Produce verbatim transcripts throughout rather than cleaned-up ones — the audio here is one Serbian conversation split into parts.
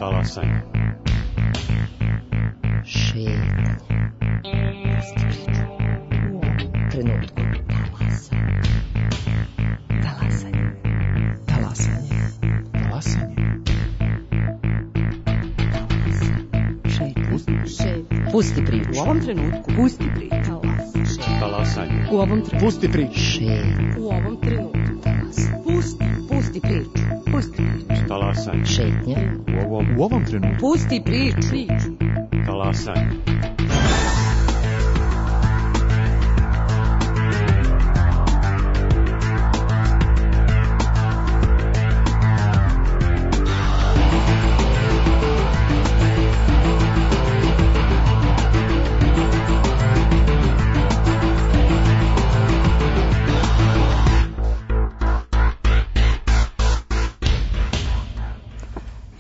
Talasanje. Šetnje. U ovom trenutku. Talasanje. Talasanje. Talasanje. Šetnje. Pusti priču. U ovom trenutku. Pusti priču. Talasanje. U ovom trenutku. Pusti priču. Šetnje. U ovom trenutku. Pusti, pusti priču. Pusti priču. Talasanje. Šetnje. U ovom, u ovom trenutku. Pusti priču. Priču. Talasanje.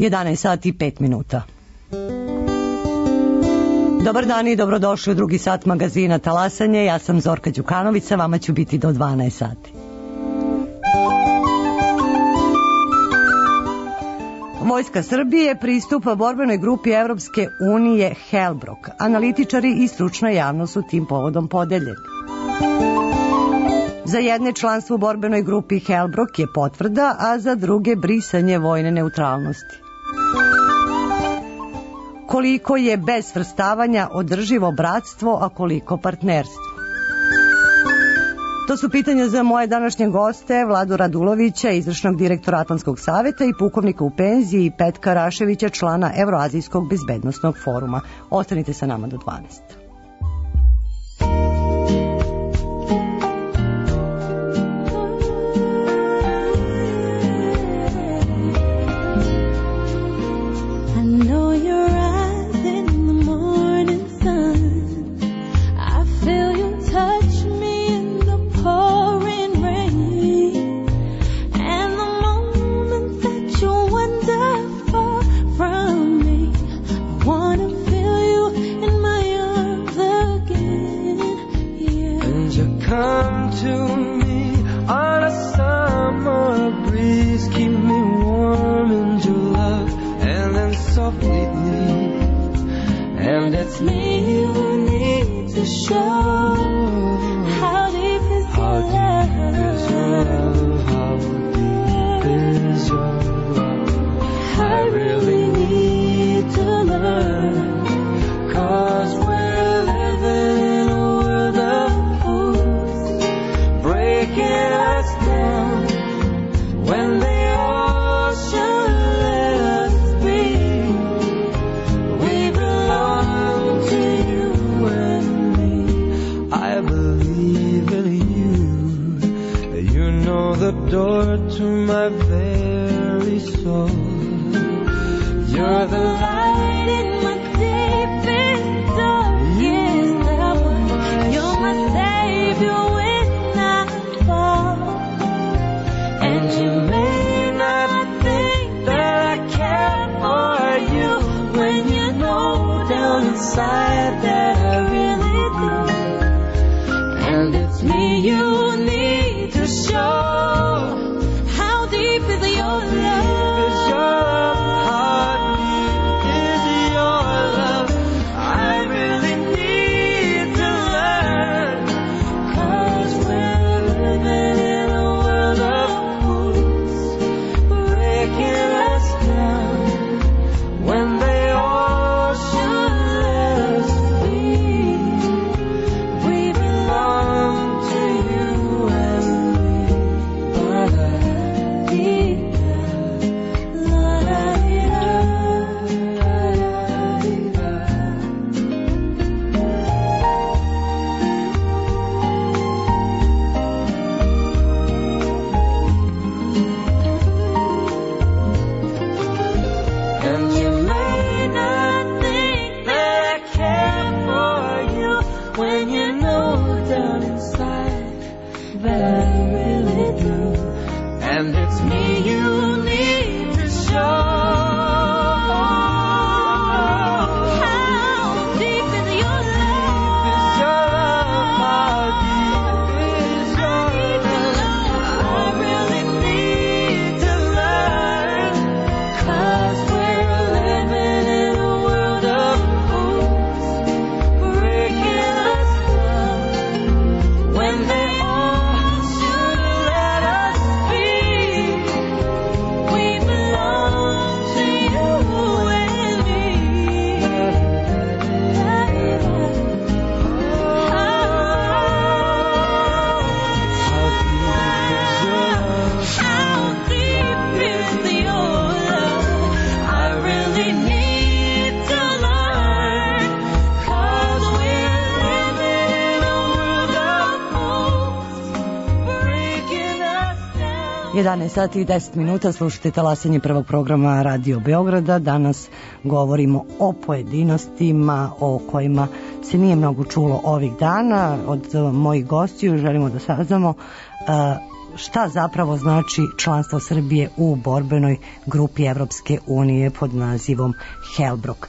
jedanaest sati i pet minuta. Dobar dan i dobrodošli u drugi sat magazina Talasanje. Ja sam Zorka Đukanović, sa vama ću biti do dvanaest sati. Vojska Srbije pristupa borbenoj grupi Evropske unije Helbrok. Analitičari i stručna javnost su tim povodom podeljeni. Za jedne članstvo u borbenoj grupi Helbrok je potvrda, a za druge brisanje vojne neutralnosti. Koliko je bez svrstavanja održivo bratstvo, a koliko partnerstvo? To su pitanja za moje današnje goste, Vladu Radulovića, izvršnog direktora Atlantskog saveta, i pukovnika u penziji Petka Raševića, člana Evroazijskog bezbednosnog foruma. Ostanite sa nama do dvanaest. We're jedanaest sati i deset minuta, slušate talasanje prvog programa Radio Beograda. Danas govorimo o pojedinostima o kojima se nije mnogo čulo ovih dana. Od mojih gostiju želimo da saznamo šta zapravo znači članstvo Srbije u borbenoj grupi Evropske unije pod nazivom Helbrok.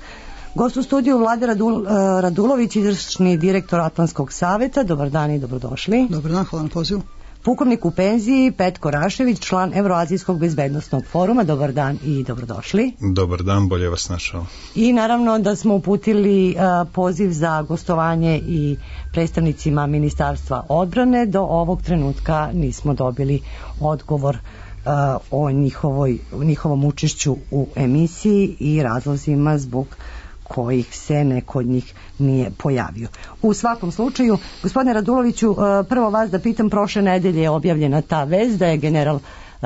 Gost u studiju Vlade Radul, Radulović, izvršni direktor Atlantskog saveta. Dobar dan i dobrodošli. Dobar dan, hvala na pozivu. Pukovnik u penziji Petko Rašević, član Evroazijskog bezbednosnog foruma. Dobar dan i dobrodošli. Dobar dan, bolje vas našao. I naravno da smo uputili uh, poziv za gostovanje i predstavnicima Ministarstva odbrane. Do ovog trenutka nismo dobili odgovor uh, o njihovoj, njihovom učešću u emisiji i razlozima zbog kojih se neko od njih nije pojavio. U svakom slučaju, gospodine Raduloviću, prvo vas da pitam, prošle nedelje je objavljena ta vest da je general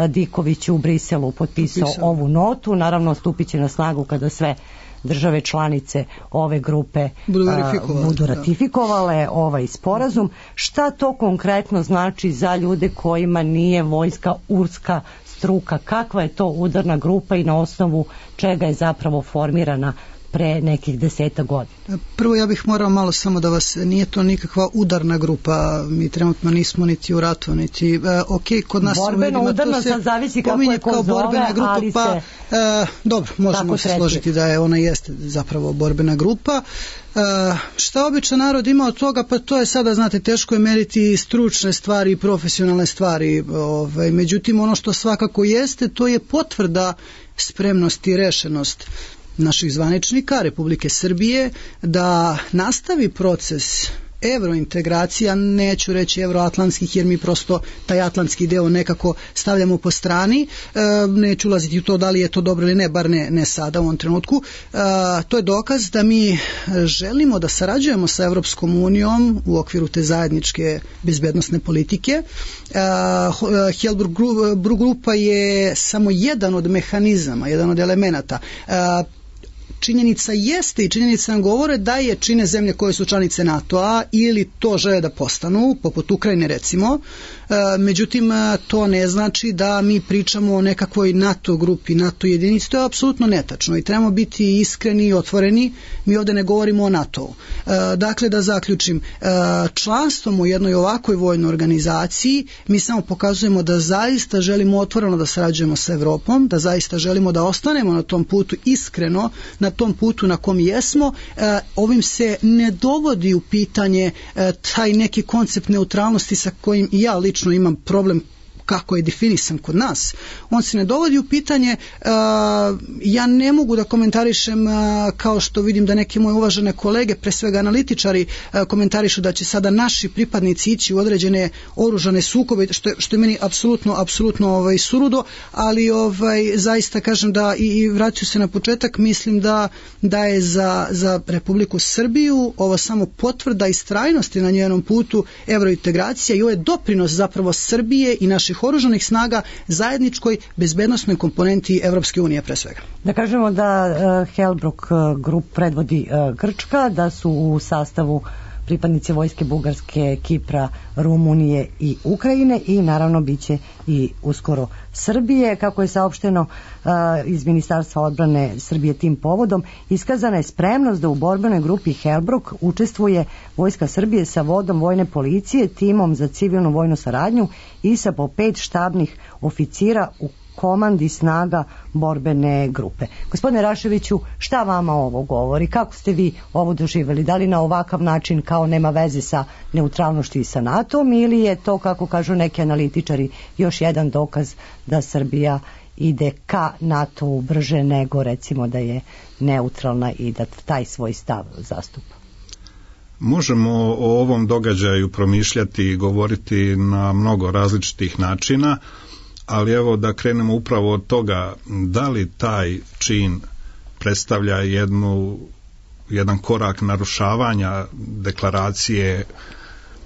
Diković u Briselu potpisao Potpisao. ovu notu. Naravno, stupit će na snagu kada sve države članice ove grupe budu ratifikovale, budu ratifikovale ovaj sporazum. Šta to konkretno znači za ljude kojima nije vojska urska struka? Kakva je to udarna grupa i na osnovu čega je zapravo formirana pre nekih deseta godina? Prvo ja bih morao malo samo da vas, nije to nikakva udarna grupa, mi trenutno nismo niti u ratu, niti, e, ok, kod nas borbeno udarna, sad zavisi kako je ko zove, grupa, ali pa, se e, dobro, možemo se složiti da je ona jeste zapravo borbena grupa. E, šta običan narod ima od toga? Pa to je sada, znate, teško je meriti stručne stvari i profesionalne stvari, ovaj, međutim ono što svakako jeste, to je potvrda spremnosti i rešenost naših zvaničnika Republike Srbije da nastavi proces evrointegracija, neću reći evroatlantskih jer mi prosto taj atlantski deo nekako stavljamo po strani, e, neću ulaziti u to da li je to dobro ili ne, bar ne, ne sada u ovom trenutku. E, to je dokaz da mi želimo da sarađujemo sa Evropskom unijom u okviru te zajedničke bezbednosne politike. E, Helbrok grupa je samo jedan od mehanizama, jedan od elemenata. E, Činjenica jeste i činjenica nam govore da je čine zemlje koje su članice NATO-a ili to žele da postanu, poput Ukrajine recimo, e, međutim to ne znači da mi pričamo o nekakvoj NATO grupi, NATO jedinici, to je apsolutno netačno i trebamo biti iskreni i otvoreni, mi ovde ne govorimo o NATO-u. E, dakle, da zaključim, e, članstvom u jednoj ovakvoj vojnoj organizaciji mi samo pokazujemo da zaista želimo otvoreno da sarađujemo sa Evropom, da zaista želimo da ostanemo na tom putu iskreno, na tom putu na kom jesmo. E, ovim se ne dovodi u pitanje e, taj neki koncept neutralnosti sa kojim i ja lično imam problem kako je definisan kod nas. On se ne dovodi u pitanje, uh, ja ne mogu da komentarišem uh, kao što vidim da neke moje uvažene kolege, pre svega analitičari, uh, komentarišu da će sada naši pripadnici ići u određene oružane sukobe, što je, što je meni apsolutno, apsolutno ovaj, surudo, ali ovaj, zaista kažem da i, i vraću se na početak, mislim da, da je za, za Republiku Srbiju ovo samo potvrda istrajnosti na njenom putu evrointegracija i ovo je doprinos zapravo Srbije i naših oružanih snaga zajedničkoj bezbednosnoj komponenti Evropske unije pre svega. Da kažemo da uh, Helbrok uh, grup predvodi uh, Grčka, da su u sastavu pripadnici vojske Bugarske, Kipra, Rumunije i Ukrajine i naravno biće i uskoro Srbije. Kako je saopšteno uh, iz Ministarstva odbrane Srbije tim povodom, iskazana je spremnost da u borbenoj grupi Helbrok učestvuje vojska Srbije sa vodom vojne policije, timom za civilnu vojnu saradnju i sa po pet štabnih oficira u komandi snaga borbene grupe. Gospodine Raševiću, šta vama ovo govori? Kako ste vi ovo doživjeli? Da li na ovakav način kao nema veze sa neutralnošću i sa NATO-om ili je to, kako kažu neki analitičari, još jedan dokaz da Srbija ide ka NATO-u brže nego recimo da je neutralna i da taj svoj stav zastupa? Možemo o ovom događaju promišljati i govoriti na mnogo različitih načina, ali evo da krenemo upravo od toga da li taj čin predstavlja jednu, jedan korak narušavanja deklaracije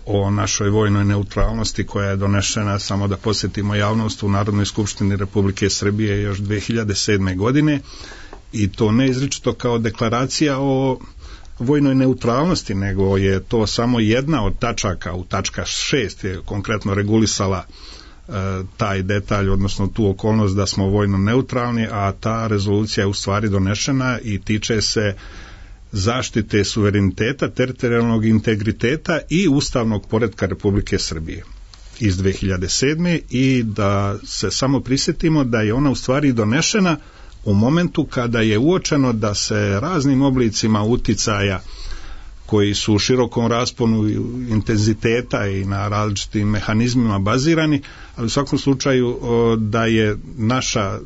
o našoj vojnoj neutralnosti koja je donešena, samo da posjetimo javnost, u Narodnoj skupštini Republike Srbije još dve hiljade sedme. godine i to ne izričito kao deklaracija o vojnoj neutralnosti, nego je to samo jedna od tačaka, u tačka šest je konkretno regulisala taj detalj, odnosno tu okolnost da smo vojno neutralni, a ta rezolucija je u stvari donešena i tiče se zaštite suvereniteta, teritorijalnog integriteta i ustavnog poretka Republike Srbije iz dve hiljade sedme. I da se samo prisjetimo da je ona u stvari donešena u momentu kada je uočeno da se raznim oblicima uticaja koji su u širokom rasponu intenziteta i na različitim mehanizmima bazirani, ali u svakom slučaju da je naša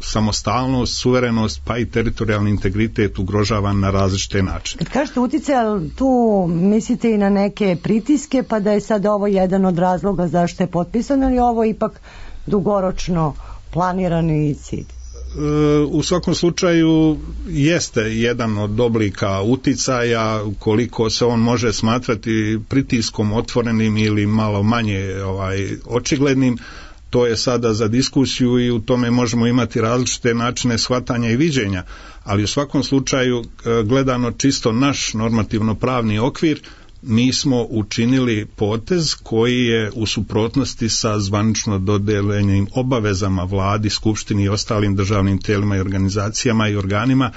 samostalnost, suverenost pa i teritorijalni integritet ugrožavan na različite načine. Kad kažete uticaj, tu mislite i na neke pritiske, pa da je sad ovo jedan od razloga zašto je potpisano, ali ovo ipak dugoročno planirani cilj? U svakom slučaju jeste jedan od oblika uticaja, koliko se on može smatrati pritiskom otvorenim ili malo manje ovaj, očiglednim, to je sada za diskusiju i u tome možemo imati različite načine shvatanja i viđenja, ali u svakom slučaju gledano čisto naš normativno pravni okvir, mi smo učinili potez koji je u suprotnosti sa zvanično dodeljenim obavezama vladi, skupštini i ostalim državnim tijelima i organizacijama i organima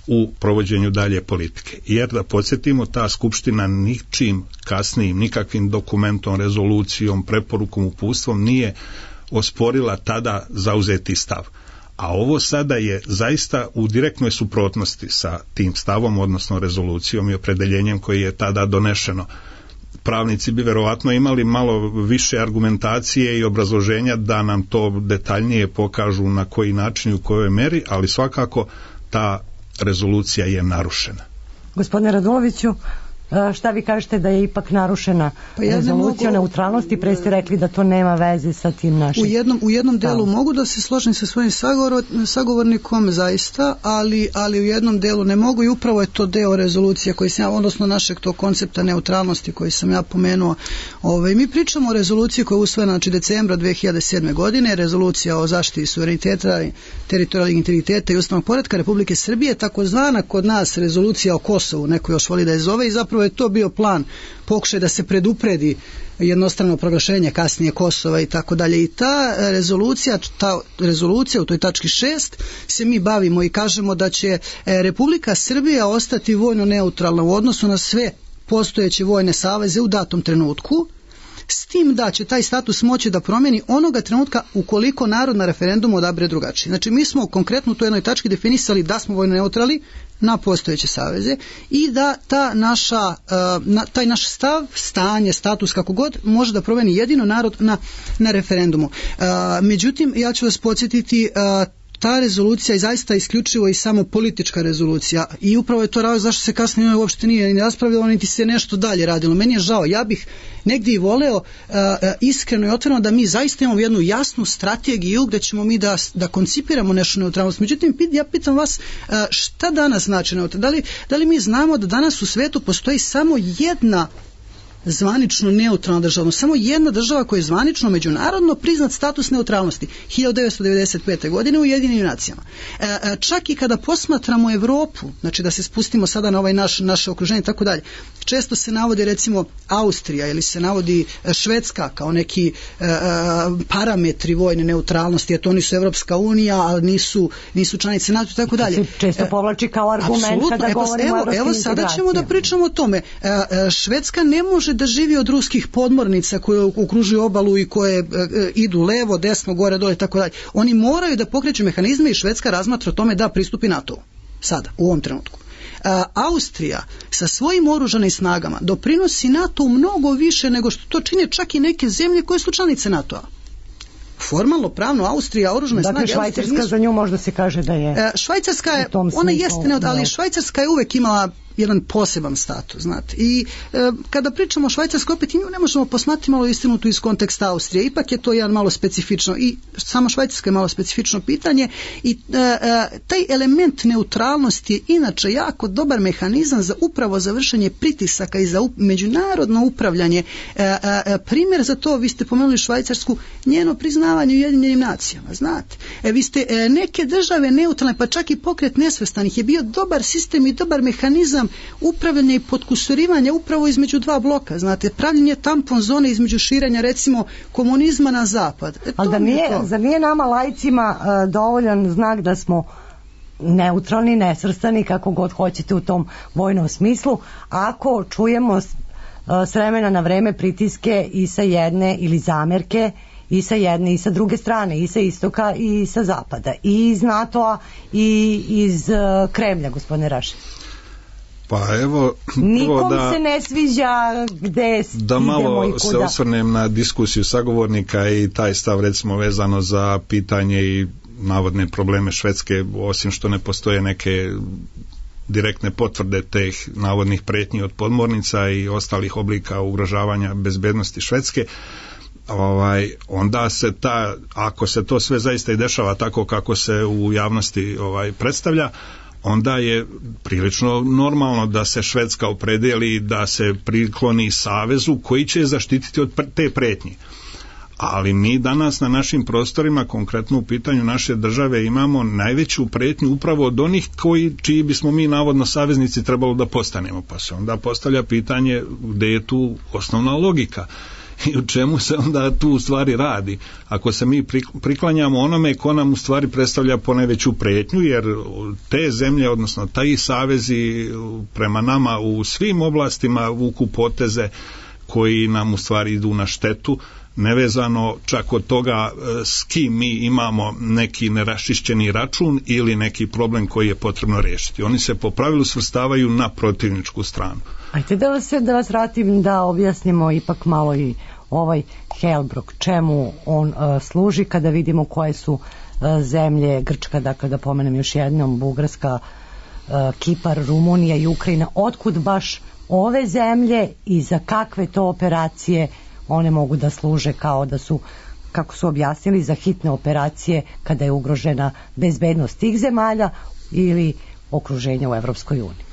u provođenju dalje politike. Jer da podsjetimo, ta skupština ničim kasnijim, nikakvim dokumentom, rezolucijom, preporukom, uputstvom nije osporila tada zauzeti stav. A ovo sada je zaista u direktnoj suprotnosti sa tim stavom, odnosno rezolucijom i opredeljenjem koji je tada donešeno. Pravnici bi verovatno imali malo više argumentacije i obrazloženja da nam to detaljnije pokažu na koji način i u kojoj meri, ali svakako ta rezolucija je narušena. Gospodine Raduloviću, šta vi kažete da je ipak narušena pa ja rezolucija mogu, neutralnosti, pre ste rekli da to nema veze sa tim našim. U jednom, u jednom delu mogu da se složim sa svojim sagovornikom zaista, ali, ali u jednom delu ne mogu i upravo je to deo rezolucije koji sam ja, odnosno našeg tog koncepta neutralnosti koji sam ja pomenuo. Ove, mi pričamo o rezoluciji koja je usvojena znači decembra dve hiljade sedme. godine, rezolucija o zaštiti suvereniteta, teritorijalnog integriteta i ustavnog poretka Republike Srbije, takozvana kod nas rezolucija o Kosovu, neko još voli da je zove, i zapravo je to bio plan, pokušaj da se predupredi jednostrano proglašenje kasnije Kosova i tako dalje. I ta rezolucija, ta rezolucija u toj tački šest se mi bavimo i kažemo da će Republika Srbija ostati vojno neutralna u odnosu na sve postojeće vojne saveze u datom trenutku, s tim da će taj status moći da promijeni onoga trenutka ukoliko narod na referendumu odabere drugačije. Znači mi smo konkretno u toj jednoj tački definisali da smo vojno neutralni na postojeće saveze i da ta naša, uh, taj naš stav, stanje, status kako god može da promijeni jedino narod na, na referendumu. Uh, međutim, ja ću vas podsjetiti, uh, ta rezolucija je zaista isključivo i samo politička rezolucija i upravo je to razlog zašto se kasnije uopšte nije ni raspravljalo niti se nešto dalje radilo. Meni je žao, ja bih negdje i voleo uh, iskreno i otvoreno da mi zaista imamo jednu jasnu strategiju gdje ćemo mi da, da koncipiramo nešto neutralnost. Međutim, ja pitam vas uh, šta danas znači neutralnost? Da li, da li mi znamo da danas u svetu postoji samo jedna zvanično neutralna država, samo jedna država koja je zvanično međunarodno priznat status neutralnosti, hiljadu devetsto devedeset pete. godine u Ujedinjenim nacijama. E, čak i kada posmatramo Evropu, znači da se spustimo sada na ovaj naš, naše okruženje i tako dalje, često se navodi recimo Austrija ili se navodi Švedska kao neki e, parametri vojne neutralnosti, jer to nisu Evropska unija, ali nisu, nisu članice NATO i tako dalje. Često povlači kao argument Absolutno. kada govorimo evo, o evropskim Evo sada ćemo da pričamo o tome. E, e, Švedska ne može da živi od ruskih podmornica koje okružuju obalu i koje e, idu levo, desno, gore, dole i tako dalje. Oni moraju da pokreću mehanizme i Švedska razmatra o tome da pristupi NATO. Sada, u ovom trenutku. A, Austrija sa svojim oružanim snagama doprinosi NATO mnogo više nego što to čine čak i neke zemlje koje su članice NATO-a. Formalno, pravno, Austrija, oružane dakle, snage... Dakle, Švajcarska nisu... za nju možda se kaže da je... E, Švajcarska je, ona jeste, ne, ali Švajcarska je uvek imala jedan poseban status, znate. I e, kada pričamo o Švajcarskoj, opet i nju ne možemo posmatrati malo istinu tu iz konteksta Austrije. Ipak je to jedan malo specifično i samo Švajcarska je malo specifično pitanje i e, e, taj element neutralnosti je inače jako dobar mehanizam za upravo za vršenje pritisaka i za up, međunarodno upravljanje. E, e, primjer za to, vi ste pomenuli Švajcarsku, njeno priznavanje u Ujedinjenim nacijama, znate. E, vi ste e, neke države neutralne, pa čak i pokret nesvrstanih je bio dobar sistem i dobar mehanizam mehanizam upravljanja i potkusurivanja upravo između dva bloka, znate, pravljenje tampon zone između širenja recimo komunizma na zapad. E, ali da nije, zar nije nama laicima uh, dovoljan znak da smo neutralni, nesvrstani, kako god hoćete u tom vojnom smislu, ako čujemo s vremena na vreme pritiske i sa jedne ili zamerke i sa jedne i sa druge strane, i sa istoka i sa zapada, i iz NATO-a i iz uh, Kremlja, gospodine Rašić. Pa evo, nikom da, se ne sviđa gde da malo se osvrnem na diskusiju sagovornika i taj stav recimo vezano za pitanje i navodne probleme Švedske, osim što ne postoje neke direktne potvrde teh navodnih pretnji od podmornica i ostalih oblika ugrožavanja bezbednosti Švedske, ovaj, onda se ta, ako se to sve zaista i dešava tako kako se u javnosti ovaj, predstavlja, onda je prilično normalno da se Švedska opredeli da se prikloni savezu koji će zaštititi od te pretnje. Ali mi danas na našim prostorima, konkretno u pitanju naše države, imamo najveću pretnju upravo od onih koji, čiji bismo mi navodno saveznici trebalo da postanemo. Pa se onda postavlja pitanje gde je tu osnovna logika i u čemu se onda tu u stvari radi. Ako se mi priklanjamo onome ko nam u stvari predstavlja ponajveću pretnju, jer te zemlje, odnosno taj savezi prema nama u svim oblastima vuku poteze koji nam u stvari idu na štetu, nevezano čak od toga s kim mi imamo neki neraščišćeni račun ili neki problem koji je potrebno riješiti. Oni se po pravilu svrstavaju na protivničku stranu. Ajde da vas, da vas vratim da objasnimo ipak malo i ovaj Helbrok, čemu on uh, služi, kada vidimo koje su uh, zemlje, Grčka, dakle da pomenem još jednom, Bugarska, uh, Kipar, Rumunija i Ukrajina, otkud baš ove zemlje i za kakve to operacije one mogu da služe, kao da su, kako su objasnili, za hitne operacije kada je ugrožena bezbednost tih zemalja ili okruženja u Evropskoj uniji.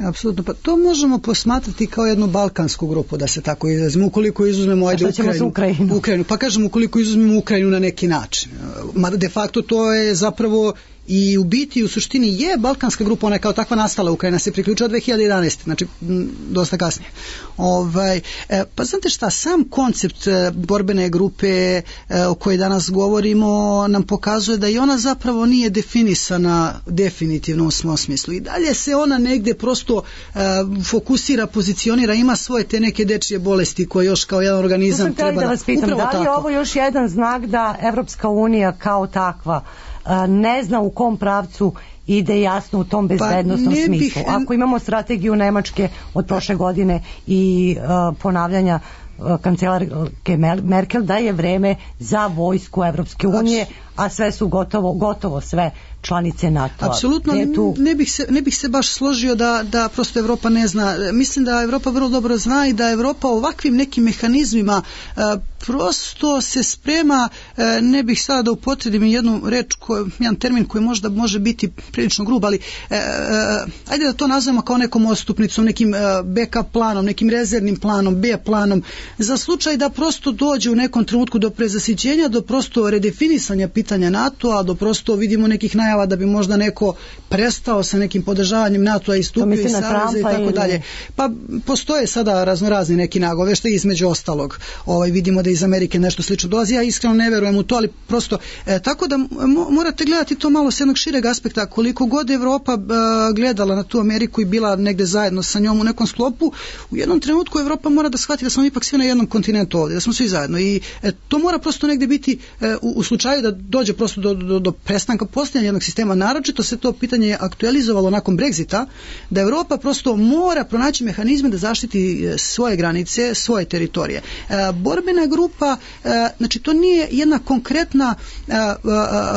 Apsolutno, pa to možemo posmatrati kao jednu balkansku grupu, da se tako izrazimo, ukoliko izuzmemo ajde Ukrajinu, Ukrajinu? Ukrajinu, pa kažemo ukoliko izuzmemo Ukrajinu na neki način. Mada de facto to je zapravo i u biti u suštini je balkanska grupa, ona je kao takva nastala, Ukrajina se priključila dve hiljade jedanaeste, znači m, dosta kasnije. Ovaj, e, pa znate šta, sam koncept e, borbene grupe e, o kojoj danas govorimo nam pokazuje da i ona zapravo nije definisana definitivno u svom smislu. I dalje se ona negde prosto e, fokusira, pozicionira, ima svoje te neke dečije bolesti koje još kao jedan organizam treba da vas pitam, upravo da li je ovo još jedan znak da Evropska unija kao takva ne zna u kom pravcu ide jasno u tom bezbednostnom pa smislu. Bih... Ako imamo strategiju Nemačke od prošle godine i uh, ponavljanja uh, kancelarke Merkel da je vreme za vojsku Evropske unije, a sve su gotovo, gotovo sve članice NATO-a. Apsolutno, tu... ne, bih se, ne bih se baš složio da, da prosto Evropa ne zna. Mislim da Evropa vrlo dobro zna i da Evropa ovakvim nekim mehanizmima uh, prosto se sprema, uh, ne bih sada da upotredim jednu reč, ko, jedan termin koji možda može biti prilično grub, ali uh, uh, ajde da to nazvamo kao nekom odstupnicom, nekim uh, backup planom, nekim rezervnim planom, B planom, za slučaj da prosto dođe u nekom trenutku do prezasićenja, do prosto redefinisanja pitanja NATO-a, do prosto vidimo nekih najava da bi možda neko prestao sa nekim podržavanjem NATO-a i stupio iz saveza i tako dalje. Pa postoje sada raznorazni neki nagoveštaji, između ostalog. Ovaj, vidimo da iz Amerike nešto slično dolazi. Ja iskreno ne verujem u to, ali prosto e, tako da mo, morate gledati to malo s jednog šireg aspekta. Koliko god Evropa e, gledala na tu Ameriku i bila negde zajedno sa njom u nekom sklopu, u jednom trenutku Evropa mora da shvati da smo ipak svi na jednom kontinentu ovdje, da smo svi zajedno i e, to mora prosto negde biti e, u, u slučaju da dođe prosto do, do, do prestanka postojanja jednog sistema, naročito se to pitanje aktualizovalo nakon Brexita, da Evropa prosto mora pronaći mehanizme da zaštiti svoje granice, svoje teritorije. E, borbena grupa, e, znači to nije jedna konkretna e, e,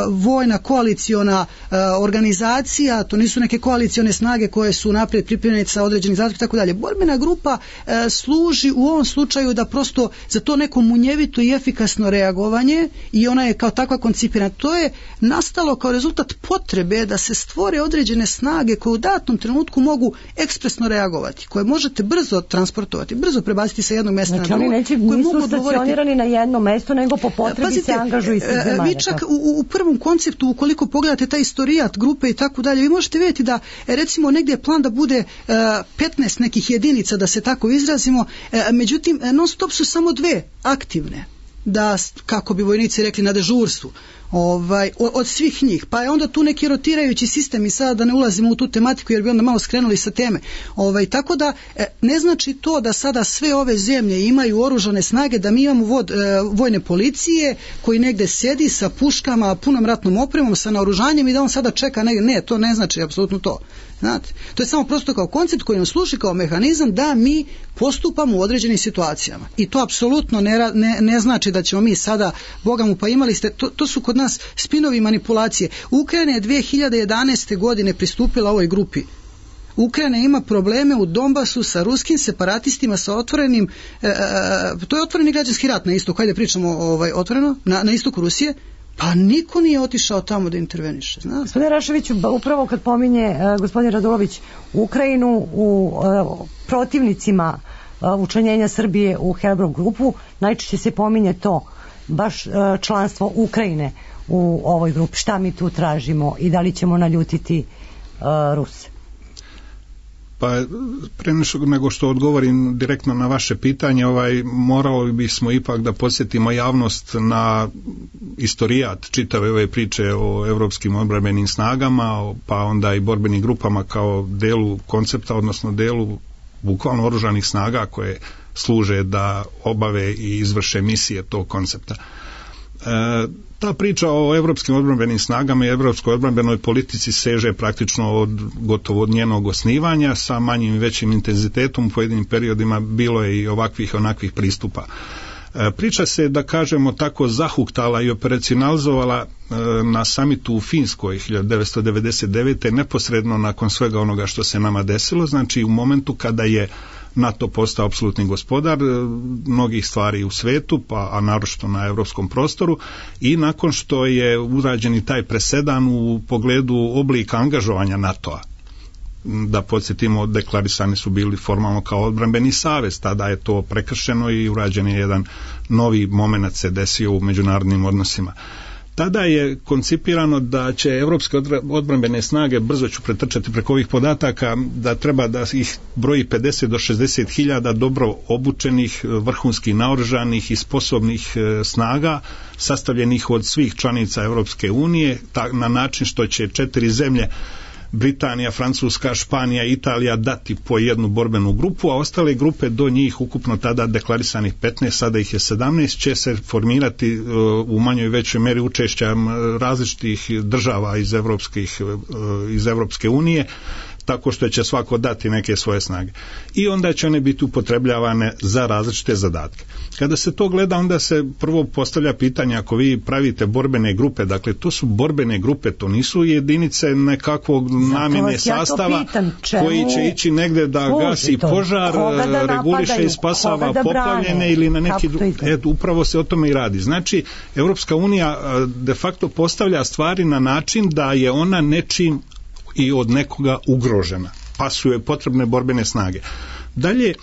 vojna koaliciona e, organizacija, to nisu neke koalicione snage koje su naprijed pripremljene sa određenih zadatka i tako dalje. Borbena grupa e, služi u ovom slučaju da prosto za to neko munjevito i efikasno reagovanje i ona je kao takva koncipirana koncipirana, to je nastalo kao rezultat potrebe da se stvore određene snage koje u datom trenutku mogu ekspresno reagovati, koje možete brzo transportovati, brzo prebaciti sa jednog mjesta znači, na drugo. Znači oni nisu stacionirani na jedno mesto, nego po potrebi Pazite, se angažuju iz zemalja. Vi čak u, u prvom konceptu, ukoliko pogledate taj istorijat grupe i tako dalje, vi možete vidjeti da recimo negdje je plan da bude uh, petnaest nekih jedinica, da se tako izrazimo, uh, međutim non stop su samo dve aktivne, da, kako bi vojnici rekli, na dežurstvu ovaj, od, od svih njih, pa je onda tu neki rotirajući sistem i sada da ne ulazimo u tu tematiku jer bi onda malo skrenuli sa teme. Ovaj, tako da ne znači to da sada sve ove zemlje imaju oružane snage, da mi imamo vod, vojne policije koji negde sedi sa puškama, punom ratnom opremom, sa naoružanjem i da on sada čeka negdje. Ne, to ne znači apsolutno to. Znate, to je samo prosto kao koncept koji nam služi kao mehanizam da mi postupamo u određenim situacijama. I to apsolutno ne, ne, ne znači da ćemo mi sada, Boga mu, pa imali ste, to, to su kod nas spinovi manipulacije. Ukrajina je dvije hiljade jedanaeste. godine pristupila ovoj grupi. Ukrajina ima probleme u Donbasu sa ruskim separatistima, sa otvorenim, e, e, to je otvoreni građanski rat na istoku, hajde pričamo ovaj, otvoreno, na, na istoku Rusije. Pa niko nije otišao tamo da interveniše. Zna? Gospodine Raševiću, upravo kad pominje uh, gospodin Radulović Ukrajinu u uh, protivnicima uh, učlanjenja Srbije u Helbrov grupu, najčešće se pominje to, baš uh, članstvo Ukrajine u ovoj grupi. Šta mi tu tražimo i da li ćemo naljutiti uh, Ruse? Pa pre nego što odgovorim direktno na vaše pitanje, ovaj, morali bismo ipak da podsjetimo javnost na istorijat čitave ove priče o evropskim odbrambenim snagama, pa onda i borbenim grupama kao delu koncepta, odnosno delu bukvalno oružanih snaga koje služe da obave i izvrše misije tog koncepta. E, ta priča o evropskim odbrambenim snagama i evropskoj odbrambenoj politici seže praktično od gotovo od njenog osnivanja, sa manjim i većim intenzitetom u pojedinim periodima bilo je i ovakvih i onakvih pristupa. E, priča se, da kažemo tako, zahuktala i operacionalizovala e, na samitu u Finskoj hiljadu devetsto devedeset devete. neposredno nakon svega onoga što se nama desilo, znači u momentu kada je NATO postao apsolutni gospodar mnogih stvari u svetu, pa a naročito na evropskom prostoru, i nakon što je urađen i taj presedan u pogledu oblika angažovanja NATO-a. Da podsjetimo, deklarisani su bili formalno kao odbrambeni savez, tada je to prekršeno i urađen je jedan novi moment se desio u međunarodnim odnosima. Tada je koncipirano da će evropske odbrambene snage, brzo ću pretrčati preko ovih podataka, da treba da ih broji pedeset do šezdeset hiljada dobro obučenih, vrhunski naoružanih i sposobnih snaga, sastavljenih od svih članica Evropske unije, na način što će četiri zemlje, Britanija, Francuska, Španija, Italija, dati po jednu borbenu grupu, a ostale grupe do njih, ukupno tada deklarisanih petnaest, sada ih je sedamnaest, će se formirati uh, u manjoj i većoj meri učešćem različitih država iz, Evropskih, uh, iz Evropske unije, tako što će svako dati neke svoje snage. I onda će one biti upotrebljavane za različite zadatke. Kada se to gleda, onda se prvo postavlja pitanje, ako vi pravite borbene grupe, dakle to su borbene grupe, to nisu jedinice nekakvog namjene ja sastava pitam, koji će ići negde da gasi požar, da reguliše i spasava poplavljene ili na neki drugi. Eto, upravo se o tome i radi. Znači, Evropska unija de facto postavlja stvari na način da je ona nečim i od nekoga ugrožena, pa su joj potrebne borbene snage. Dalje,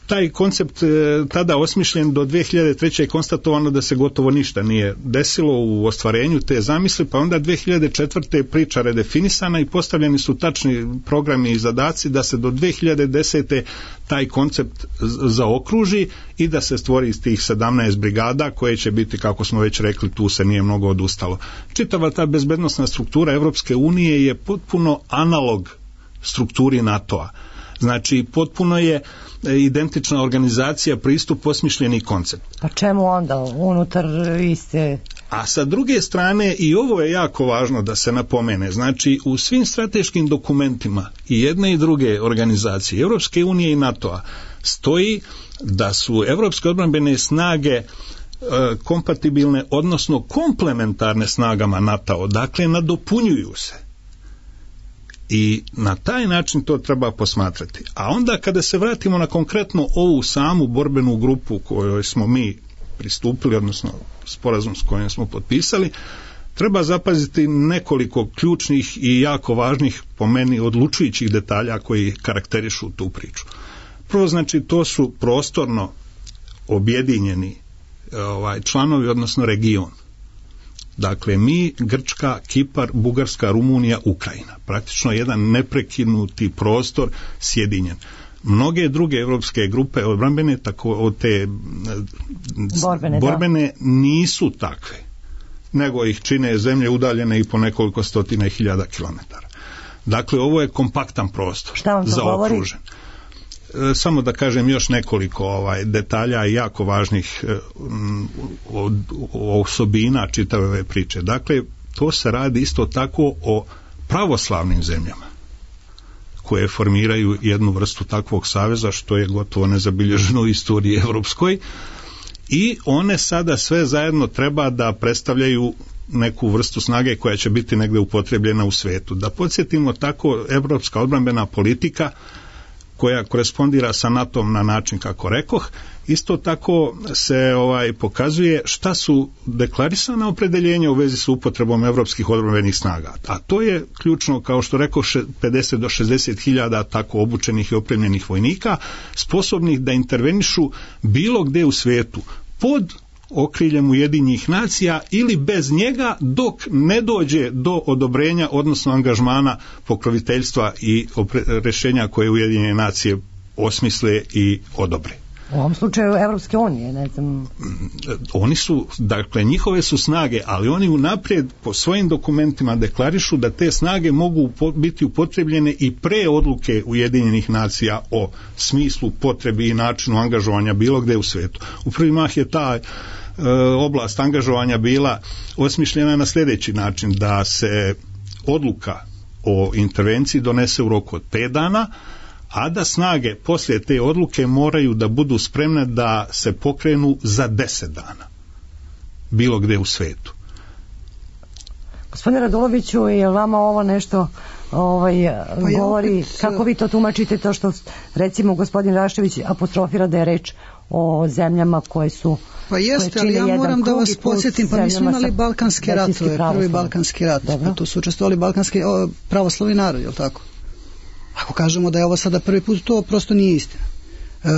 taj koncept e, tada osmišljen do dvije hiljade treće je konstatovano da se gotovo ništa nije desilo u ostvarenju te zamisli, pa onda dvije hiljade četvrte je priča redefinisana i postavljeni su tačni programi i zadaci da se do dvije hiljade desete taj koncept zaokruži i da se stvori iz tih sedamnaest brigada koje će biti, kako smo već rekli, tu se nije mnogo odustalo. Čitava ta bezbednosna struktura Evropske unije je potpuno analog strukturi NATO-a. Znači, potpuno je identična organizacija, pristup, osmišljeni koncept. Pa čemu onda unutar iste... A sa druge strane, i ovo je jako važno da se napomene, znači u svim strateškim dokumentima i jedne i druge organizacije, Evropske unije i NATO-a, stoji da su evropske odbrambene snage e, kompatibilne, odnosno komplementarne snagama NATO-a, dakle nadopunjuju se. I na taj način to treba posmatrati. A onda kada se vratimo na konkretno ovu samu borbenu grupu kojoj smo mi pristupili, odnosno sporazum s kojim smo potpisali, treba zapaziti nekoliko ključnih i jako važnih, po meni, odlučujućih detalja koji karakterišu tu priču. Prvo, znači, to su prostorno objedinjeni ovaj, članovi, odnosno region. Dakle, mi, Grčka, Kipar, Bugarska, Rumunija, Ukrajina. Praktično jedan neprekinuti prostor sjedinjen. Mnoge druge evropske grupe odbrambene, tako od te borbene, borbene nisu takve, nego ih čine zemlje udaljene i po nekoliko stotina hiljada kilometara. Dakle, ovo je kompaktan prostor zaokružen. Samo da kažem još nekoliko ovaj, detalja i jako važnih od, osobina čitave ove priče. Dakle, to se radi isto tako o pravoslavnim zemljama koje formiraju jednu vrstu takvog saveza, što je gotovo nezabilježeno u istoriji evropskoj, i one sada sve zajedno treba da predstavljaju neku vrstu snage koja će biti negde upotrebljena u svetu. Da podsjetimo, tako evropska odbrambena politika koja korespondira sa NATO-om na način kako rekoh, isto tako se ovaj pokazuje šta su deklarisana opredeljenja u vezi sa upotrebom evropskih odbrambenih snaga. A to je ključno, kao što rekao, pedeset do šezdeset hiljada tako obučenih i opremljenih vojnika, sposobnih da intervenišu bilo gde u svetu pod okriljem Ujedinjenih nacija ili bez njega, dok ne dođe do odobrenja, odnosno angažmana, pokroviteljstva i rješenja koje Ujedinjene nacije osmisle i odobre. U ovom slučaju Evropske unije, ne znam. Oni su, dakle, njihove su snage, ali oni unaprijed po svojim dokumentima deklarišu da te snage mogu biti upotrebljene i pre odluke Ujedinjenih nacija o smislu, potrebi i načinu angažovanja bilo gde u svetu. U prvi mah je ta e, oblast angažovanja bila osmišljena na sljedeći način, da se odluka o intervenciji donese u roku od pet dana, a da snage poslije te odluke moraju da budu spremne da se pokrenu za deset dana, bilo gde u svetu. Gospodine Raduloviću, je vama ovo nešto ovaj, pa govori, opet, kako vi to tumačite, to što recimo gospodin Rašević apostrofira da je reč o zemljama koje su Pa jeste, ali ja moram da vas podsjetim, pa mi smo imali balkanske ratove, prvi balkanski rat, pa tu su učestvovali balkanski o, pravoslavni narod, je li tako? Ako kažemo da je ovo sada prvi put, to prosto nije istina. E,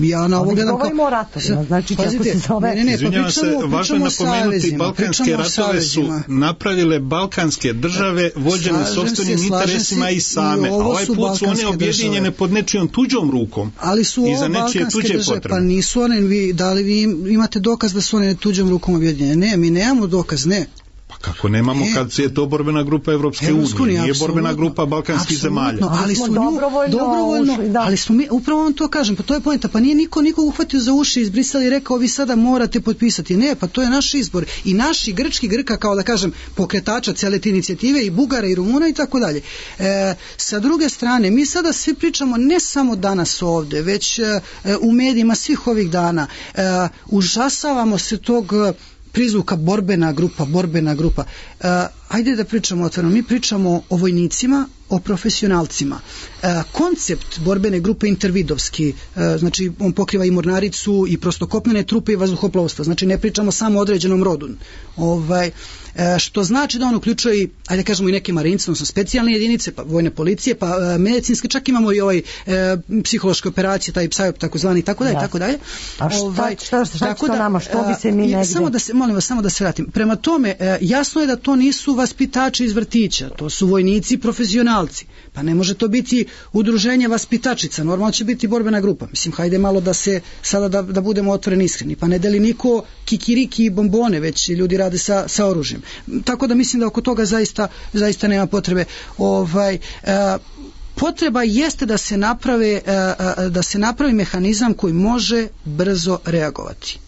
ja na ovo gledam kao... ratovima, znači kako se zove... Ne, ne, pa pričamo, se, važno je napomenuti, balkanske ratove su napravile balkanske države vođene sopstvenim interesima i same, a ovaj put su one objedinjene pod nečijom tuđom rukom ali su i za nečije tuđe države, potrebe. Pa nisu one, vi, da li vi imate dokaz da su one tuđom rukom objedinjene? Ne, mi nemamo dokaz, ne. Kako nemamo, e, kad je to borbena grupa Evropske unije, nije borbena grupa balkanskih zemalja. Ali su dobrovoljno, dobrovoljno ušli, da. Ali smo mi, upravo vam to kažem, pa to je poenta, pa nije niko nikog uhvatio za uši iz Brisela i rekao vi sada morate potpisati. Ne, pa to je naš izbor. I naši grčki Grka, kao da kažem, pokretača cele te inicijative, i Bugara i Rumuna i tako dalje. E, sa druge strane, mi sada svi pričamo ne samo danas ovde, već e, u medijima svih ovih dana. E, užasavamo se tog prizvuka borbena grupa, borbena grupa. Uh, ajde da pričamo otvoreno. Mi pričamo o vojnicima, o profesionalcima. Uh, koncept borbene grupe intervidovski, uh, znači on pokriva i mornaricu i prostokopnene trupe i vazduhoplovstvo. Znači ne pričamo samo o određenom rodu. Ovaj, uh, što znači da on uključuje i, ajde kažemo, i neke marince, odnosno specijalne jedinice, pa vojne policije, pa uh, medicinske, čak imamo i ovaj uh, psihološke operacije, taj psajop takozvani i tako dalje, tako dalje. A šta, ovaj, šta, šta, šta, šta da, nama, što bi se mi negdje... Samo da se, molim vas, samo da se vratim. Prema tome, uh, jasno je da to nisu vaspitači iz vrtića, to su vojnici i profesionalci. Pa ne može to biti udruženje vaspitačica, normalno će biti borbena grupa. Mislim, hajde malo da se, sada da, da budemo otvoreni, iskreni. Pa ne deli niko kikiriki i bombone, već ljudi rade sa, sa oružjem. Tako da mislim da oko toga zaista, zaista nema potrebe. Ovaj, uh, potreba jeste da se naprave, uh, da se napravi mehanizam koji može brzo reagovati.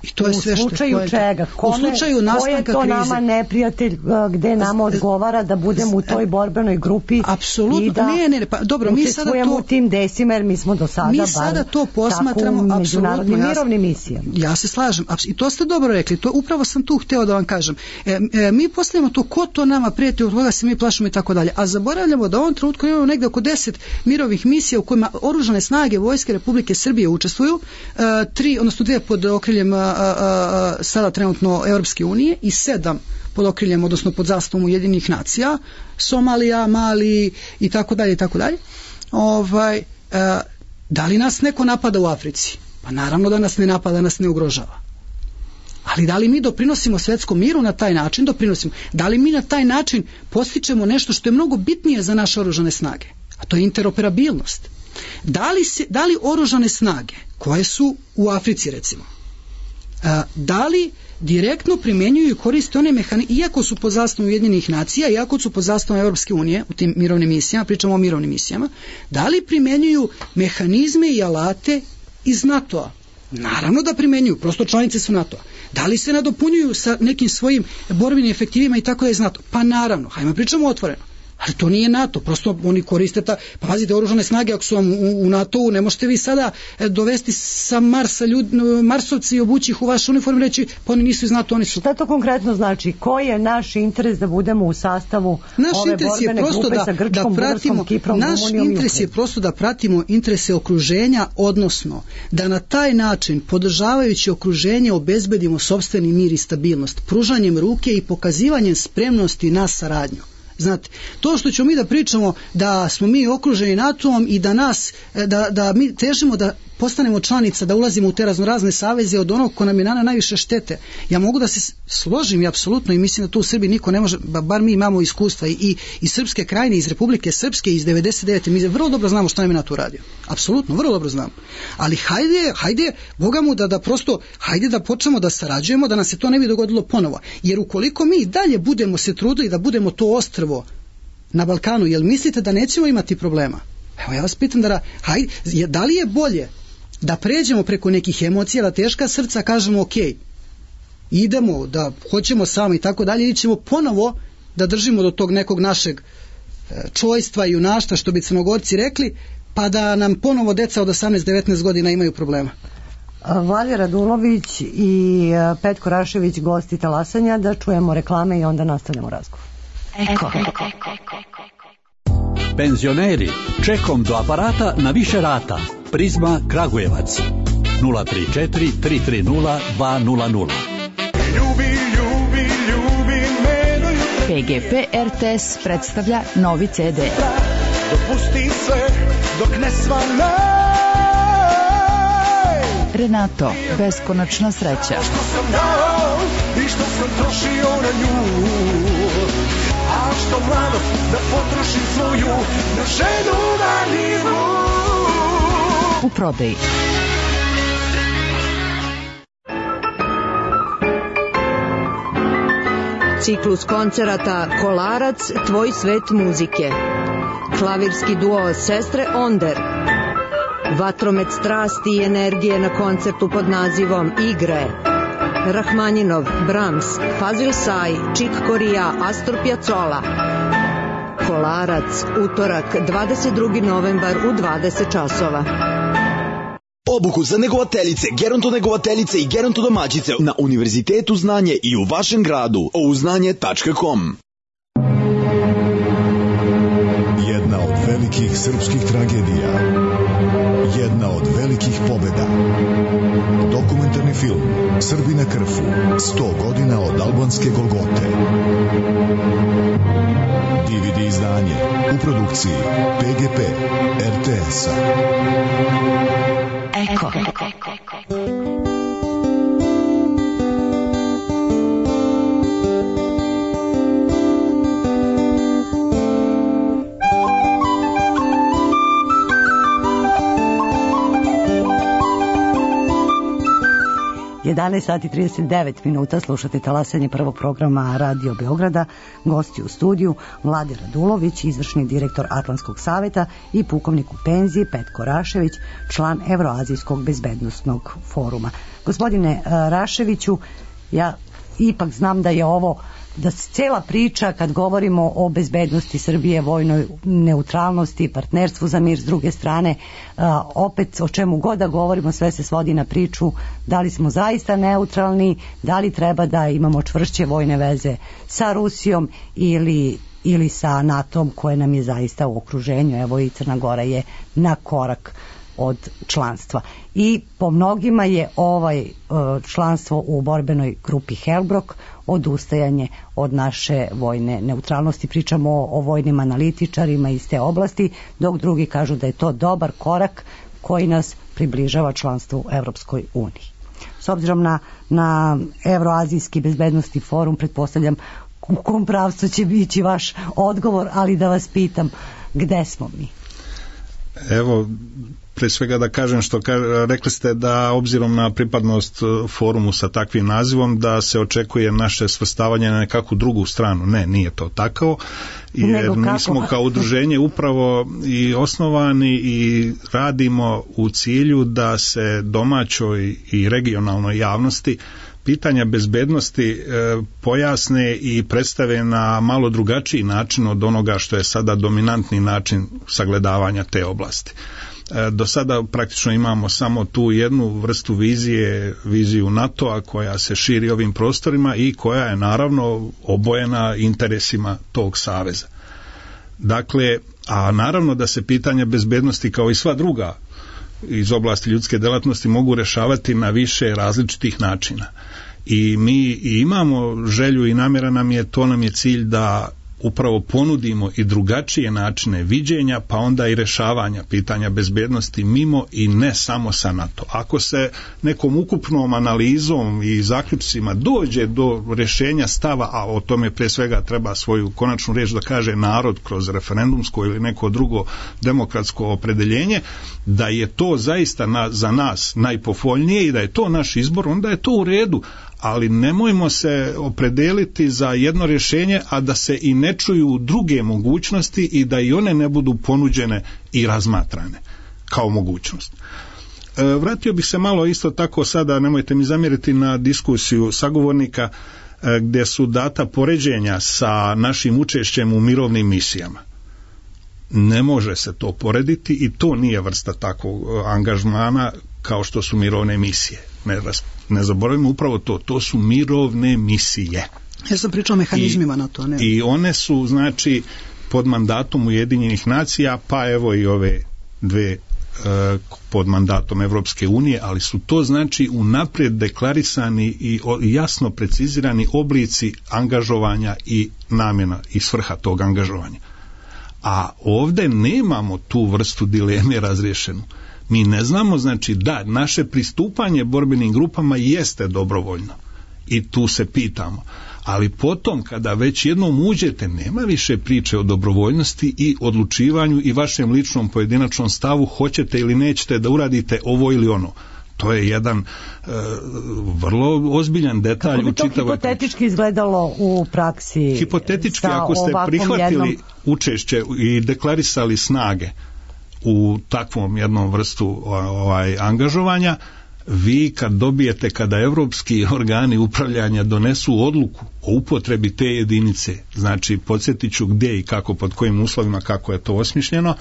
I to je u sve slučaju što čega? Kome, u slučaju nastanka krize. Ko je to nama neprijatelj gde nama odgovara da budemo u toj borbenoj grupi? Apsolutno. I da ne, ne, pa dobro, mi sada to u tim desima, jer mi smo do sada mi sada to posmatramo u međunarodnim mirovnim misijama. Ja se slažem. I to ste dobro rekli. To upravo sam tu hteo da vam kažem. E, e, mi postavljamo to ko to nama prijeti, od koga se mi plašimo i tako dalje. A zaboravljamo da u ovom trenutku imamo negde oko deset mirovnih misija u kojima oružane snage Vojske Republike Srbije učestvuju, e, tri, odnosno dve pod okriljem a, a, sada trenutno Europske unije i sedam pod okriljem, odnosno pod zastavom Ujedinjenih nacija, Somalija, Mali i tako dalje i tako dalje. Ovaj, a, da li nas neko napada u Africi? Pa naravno da nas ne napada, nas ne ugrožava. Ali da li mi doprinosimo svetskom miru na taj način? Doprinosimo. Da li mi na taj način postičemo nešto što je mnogo bitnije za naše oružane snage? A to je interoperabilnost. Da li, se, da li oružane snage koje su u Africi recimo, a, da li direktno primjenjuju i koriste one mehanizme, iako su pod zastavom Ujedinjenih nacija, iako su pod zastavom Europske unije u tim mirovnim misijama, pričamo o mirovnim misijama, da li primjenjuju mehanizme i alate iz NATO-a? Naravno da primjenjuju, prosto članice su NATO-a. Da li se nadopunjuju sa nekim svojim borbenim efektivima i tako da je iz NATO? Pa naravno, hajmo pričamo otvoreno. Ali to nije NATO, prosto oni koriste ta, pa pazite, oružane snage ako su vam u, u NATO-u, ne možete vi sada dovesti sa Marsa ljud, Marsovci i obući ih u vašu uniformu i reći, pa oni nisu iz NATO, oni su. Šta to konkretno znači? Koji je naš interes da budemo u sastavu naš ove borbene grupe da, sa Grčkom, da pratimo, Bugarskom, Kiprom, naš Rumunijom? Naš interes je prosto da pratimo interese okruženja, odnosno da na taj način, podržavajući okruženje, obezbedimo sopstveni mir i stabilnost, pružanjem ruke i pokazivanjem spremnosti na saradnju. Znate, to što ćemo mi da pričamo da smo mi okruženi NATO-om i da nas, da, da mi težimo da postanemo članica, da ulazimo u te raznorazne saveze od onog ko nam je nana najviše štete. Ja mogu da se složim i apsolutno i mislim da tu u Srbiji niko ne može, bar mi imamo iskustva i, i iz Srpske krajine, iz Republike Srpske, iz devedeset devete mi vrlo dobro znamo šta nam je NATO uradio. Apsolutno, vrlo dobro znamo. Ali hajde, hajde, Boga mu da, da prosto, hajde da počnemo da sarađujemo, da nam se to ne bi dogodilo ponovo. Jer ukoliko mi dalje budemo se trudili da budemo to ostrvo na Balkanu, jel mislite da nećemo imati problema? Evo ja vas pitam da, hajde, da li je bolje da pređemo preko nekih emocija, da teška srca kažemo ok, idemo, da hoćemo samo i tako dalje, ili ćemo ponovo da držimo do tog nekog našeg čojstva i junaštva, što bi Crnogorci rekli, pa da nam ponovo deca od osamnaest devetnaest godina imaju problema. Vladimir Radulović i Petko Rašević, gosti Talasanja, da čujemo reklame i onda nastavljamo razgovor. Eko. Penzioneri, čekom do aparata na više rata. Prizma Kragujevac nula tri četiri tri tri nula dva nula nula. Ljubi, ljubi, ljubi me do jutra. P G P R T S predstavlja novi C D. Dopusti sve dok ne svane. Renato, beskonačna sreća. Što sam dao i što sam trošio na nju. A što mladost da potrošim svoju na ženu na nivu. U prodaji. Ciklus koncerata Kolarac, tvoj svet muzike. Klavirski duo Sestre Onder. Vatromet strasti i energije na koncertu pod nazivom Igre. Rahmaninov, Brahms, Fazil Say, Chick Corea, Astor Piazzolla. Kolarac, utorak, dvadeset drugi novembar u dvadeset časova. Obuku za negovateljice, gerontonegovateljice i gerontodomaćice na Univerzitetu Znanje i u vašem gradu. ouznanje tačka com. Jedna od velikih srpskih tragedija. Jedna od velikih pobjeda. Dokumentarni film Srbi na Krfu. sto godina od albanske Golgote. D V D izdanje u produkciji P G P R T S-a. Eko. jedanaest sati i trideset devet minuta, slušate Talasanje, prvog programa Radio Beograda. Gosti u studiju Vladimir Radulović, izvršni direktor Atlantskog saveta, i pukovnik u penziji Petko Rašević, član Evroazijskog bezbednosnog foruma. Gospodine Raševiću, ja ipak znam da je ovo, da cela priča kad govorimo o bezbednosti Srbije, vojnoj neutralnosti, partnerstvu za mir s druge strane, a, opet o čemu god da govorimo, sve se svodi na priču da li smo zaista neutralni, da li treba da imamo čvršće vojne veze sa Rusijom ili, ili sa NATO-om koje nam je zaista u okruženju. Evo i Crna Gora je na korak od članstva. I po mnogima je ovaj članstvo u borbenoj grupi Helbrok odustajanje od naše vojne neutralnosti. Pričamo o, o vojnim analitičarima iz te oblasti, dok drugi kažu da je to dobar korak koji nas približava članstvu u Evropskoj uniji. S obzirom na, na Evroazijski bezbednostni forum, pretpostavljam u kom pravcu će biti vaš odgovor, ali da vas pitam, gde smo mi? Evo, pre svega da kažem što ka, rekli ste da obzirom na pripadnost forumu sa takvim nazivom da se očekuje naše svrstavanje na nekakvu drugu stranu. Ne, nije to tako, jer mi smo kao udruženje upravo i osnovani i radimo u cilju da se domaćoj i regionalnoj javnosti pitanja bezbednosti e, pojasne i predstave na malo drugačiji način od onoga što je sada dominantni način sagledavanja te oblasti. E, do sada praktično imamo samo tu jednu vrstu vizije, viziju NATO-a koja se širi ovim prostorima i koja je naravno obojena interesima tog saveza. Dakle, a naravno da se pitanja bezbednosti kao i sva druga iz oblasti ljudske delatnosti mogu rešavati na više različitih načina. I mi imamo želju i namjera nam je, to nam je cilj da upravo ponudimo i drugačije načine viđenja, pa onda i rešavanja pitanja bezbednosti mimo i ne samo sa NATO. Ako se nekom ukupnom analizom i zaključcima dođe do rješenja stava, a o tome pre svega treba svoju konačnu riječ da kaže narod kroz referendumsko ili neko drugo demokratsko opredeljenje, da je to zaista na, za nas najpovoljnije i da je to naš izbor, onda je to u redu. Ali nemojmo se opredeliti za jedno rješenje, a da se i ne čuju druge mogućnosti i da i one ne budu ponuđene i razmatrane kao mogućnost. E, vratio bih se malo isto tako sada, nemojte mi zamjeriti, na diskusiju sagovornika e, gdje su data poređenja sa našim učešćem u mirovnim misijama. Ne može se to porediti i to nije vrsta takvog angažmana kao što su mirovne misije. Ne, ne zaboravimo upravo to, to su mirovne misije. Ja sam pričao o mehanizmima I, na to. Ne? I one su, znači, pod mandatom Ujedinjenih nacija, pa evo i ove dve e, pod mandatom Evropske unije, ali su to, znači, unaprijed deklarisani i o, jasno precizirani oblici angažovanja i namjena i svrha tog angažovanja. A ovdje nemamo tu vrstu dileme razriješenu. Mi ne znamo, znači, da naše pristupanje borbenim grupama jeste dobrovoljno i tu se pitamo, ali potom kada već jednom uđete nema više priče o dobrovoljnosti i odlučivanju i vašem ličnom pojedinačnom stavu hoćete ili nećete da uradite ovo ili ono. To je jedan e, vrlo ozbiljan detalj. Kako bi to hipotetički priči. Izgledalo u praksi? Hipotetički, ako ste prihvatili jednom... učešće i deklarisali snage u takvom jednom vrstu ovaj, angažovanja, vi kad dobijete, kada evropski organi upravljanja donesu odluku o upotrebi te jedinice, znači podsjetit ću gdje i kako, pod kojim uslovima, kako je to osmišljeno,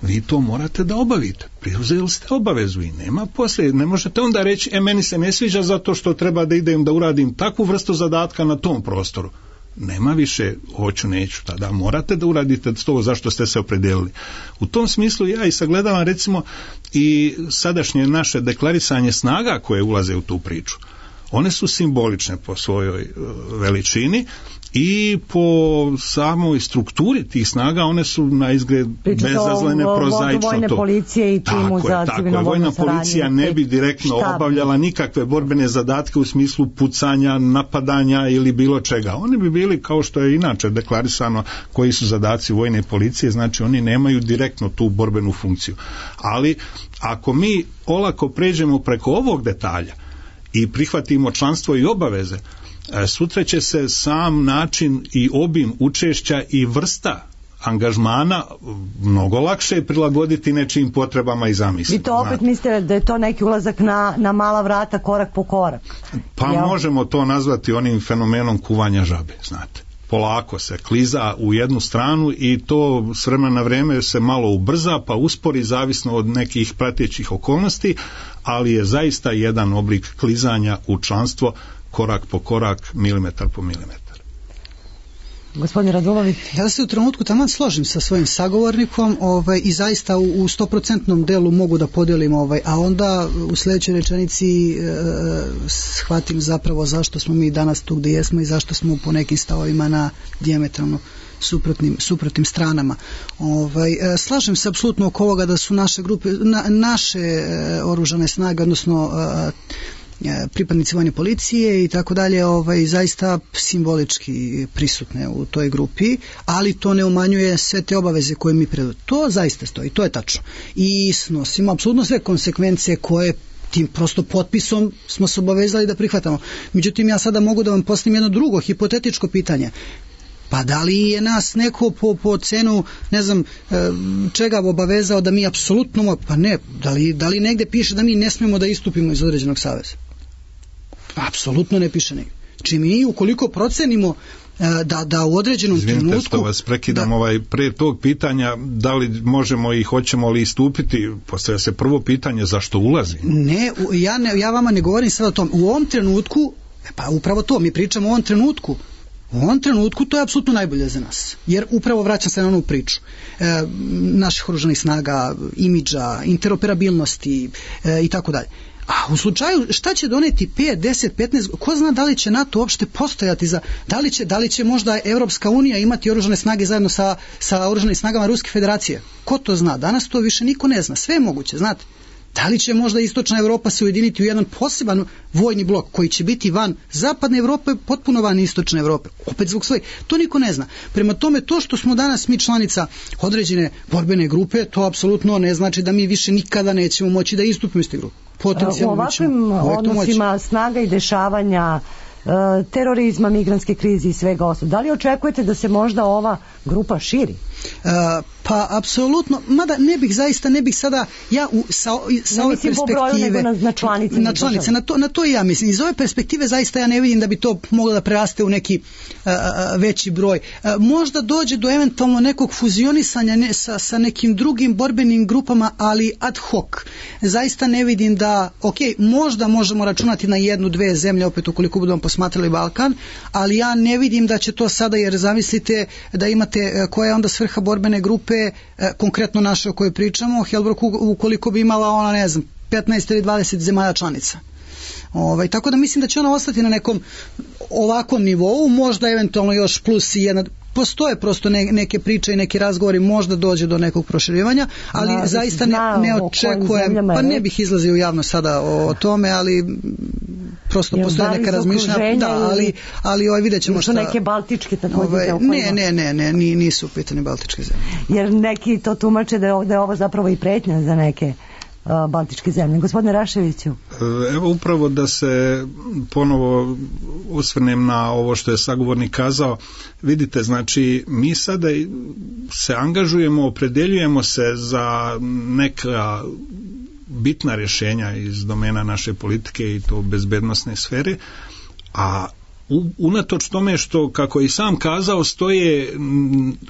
vi to morate da obavite. Preuzeli ste obavezu i nema poslije, ne možete onda reći, e meni se ne sviđa zato što treba da idem da uradim takvu vrstu zadatka na tom prostoru. Nema više hoću, neću, tada morate da uradite to zašto ste se opredijelili. U tom smislu ja i sagledavam recimo i sadašnje naše deklarisanje snaga koje ulaze u tu priču. One su simbolične po svojoj veličini i po samoj strukturi tih snaga one su na izgled bezazlene, prozaično vojne to. Policije i timu tako za je, tako je. Vojna policija ne bi direktno štab. obavljala nikakve borbene zadatke u smislu pucanja, napadanja ili bilo čega. Oni bi bili, kao što je inače deklarisano koji su zadaci vojne policije, znači oni nemaju direktno tu borbenu funkciju. Ali ako mi olako pređemo preko ovog detalja i prihvatimo članstvo i obaveze, sutra će se sam način i obim učešća i vrsta angažmana mnogo lakše prilagoditi nečijim potrebama i zamislima. Vi to opet znate. Mislite da je to neki ulazak na, na mala vrata, korak po korak? Pa Jel? možemo to nazvati onim fenomenom kuvanja žabe, znate. Polako se kliza u jednu stranu i to s vremena na vrijeme se malo ubrza pa uspori zavisno od nekih pratećih okolnosti, ali je zaista jedan oblik klizanja u članstvo korak po korak, milimetar po milimetar. Gospodin Radulović. Ja se u trenutku taman složim sa svojim sagovornikom ovaj, i zaista u stoprocentnom delu mogu da podelim, ovaj, a onda u sljedećoj rečenici e, shvatim zapravo zašto smo mi danas tu gdje jesmo i zašto smo po nekim stavovima na dijametralno suprotnim, suprotnim stranama. Ovaj, e, slažem se apsolutno oko ovoga da su naše grupe, na, naše e, oružane snage, odnosno e, pripadnici vojne policije i tako dalje, ovaj, zaista simbolički prisutne u toj grupi, ali to ne umanjuje sve te obaveze koje mi predaju. To zaista stoji, to je tačno. I snosimo apsolutno sve konsekvence koje tim prosto potpisom smo se obavezali da prihvatamo. Međutim, ja sada mogu da vam postavim jedno drugo hipotetičko pitanje. Pa da li je nas neko po, po cenu, ne znam, čega obavezao da mi apsolutno, pa ne, da li, da li negde piše da mi ne smemo da istupimo iz određenog saveza? Apsolutno ne piše negde. Či mi ukoliko procenimo da, da u određenom Izvinite trenutku... Izvinite što vas prekidam, da, ovaj, pre tog pitanja, da li možemo i hoćemo li istupiti, postavlja se prvo pitanje zašto ulazi? Ne, ja, ne, ja vama ne govorim sada o tom. U ovom trenutku, pa upravo to, mi pričamo o ovom trenutku, u ovom trenutku to je apsolutno najbolje za nas, jer upravo vraćam se na onu priču e, naših oružanih snaga, imidža, interoperabilnosti e, i tako dalje. A u slučaju šta će doneti pet, deset, petnaest, ko zna da li će NATO uopšte postojati za, da li će, da li će možda Evropska unija imati oružane snage zajedno sa, sa oružanim snagama Ruske federacije? Ko to zna? Danas to više niko ne zna. Sve je moguće, znate. Da li će možda Istočna Evropa se ujediniti u jedan poseban vojni blok koji će biti van Zapadne Evrope, potpuno van Istočne Evrope, opet zbog svoje, to niko ne zna. Prema tome, to što smo danas mi članica određene borbene grupe, to apsolutno ne znači da mi više nikada nećemo moći da istupimo iz te grupe. U ovakvim odnosima snaga i dešavanja, terorizma, migrantske krize i svega ostalog, da li očekujete da se možda ova grupa širi? Uh, pa apsolutno, mada ne bih zaista, ne bih sada ja u, sa, sa ove perspektive na, na članice, na, članice na, to, na to i ja mislim, iz ove perspektive zaista ja ne vidim da bi to moglo da preraste u neki uh, veći broj. Uh, možda dođe do eventualno nekog fuzionisanja ne, sa, sa nekim drugim borbenim grupama, ali ad hoc. Zaista ne vidim da, ok, možda možemo računati na jednu, dve zemlje, opet ukoliko budemo posmatrali Balkan, ali ja ne vidim da će to sada, jer zamislite da imate koja je onda svrha borbene grupe, eh, konkretno naše o kojoj pričamo, Helbrok ukoliko bi imala ona, ne znam, petnaest ili dvadeset zemalja članica. Ovaj, tako da mislim da će ona ostati na nekom ovakvom nivou, možda eventualno još plus i jedna, postoje prosto ne, neke priče i neki razgovori, možda dođe do nekog proširivanja, ali da, zaista ne, ne očekujem, pa ne bih izlazio javno sada o, o tome, ali prosto jer postoje neka razmišljanja, da, ali, ali ovaj, vidjet ćemo šta... Su neke baltičke također ovaj, ne, ne, ne, ne, nisu pitanje baltičke zemlje. Jer neki to tumače da je ovo, da je ovo zapravo i pretnja za neke baltičke zemlje. Gospodine Raševiću. Evo upravo da se ponovo osvrnem na ovo što je sagovornik kazao. Vidite, znači mi sada se angažujemo, opredeljujemo se za neka bitna rješenja iz domena naše politike i to bezbednosne sfere, a unatoč tome što, kako je i sam kazao, stoje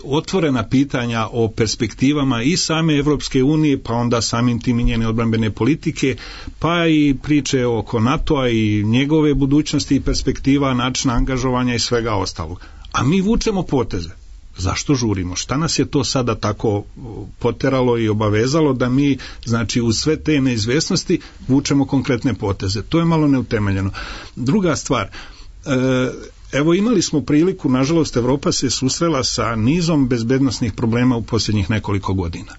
otvorena pitanja o perspektivama i same Evropske unije, pa onda samim tim i njene odbrambene politike, pa i priče oko NATO-a i njegove budućnosti i perspektiva, načina angažovanja i svega ostalog. A mi vučemo poteze. Zašto žurimo? Šta nas je to sada tako poteralo i obavezalo da mi, znači, uz sve te neizvesnosti vučemo konkretne poteze? To je malo neutemeljeno. Druga stvar, evo imali smo priliku, nažalost Evropa se susrela sa nizom bezbednosnih problema u posljednjih nekoliko godina.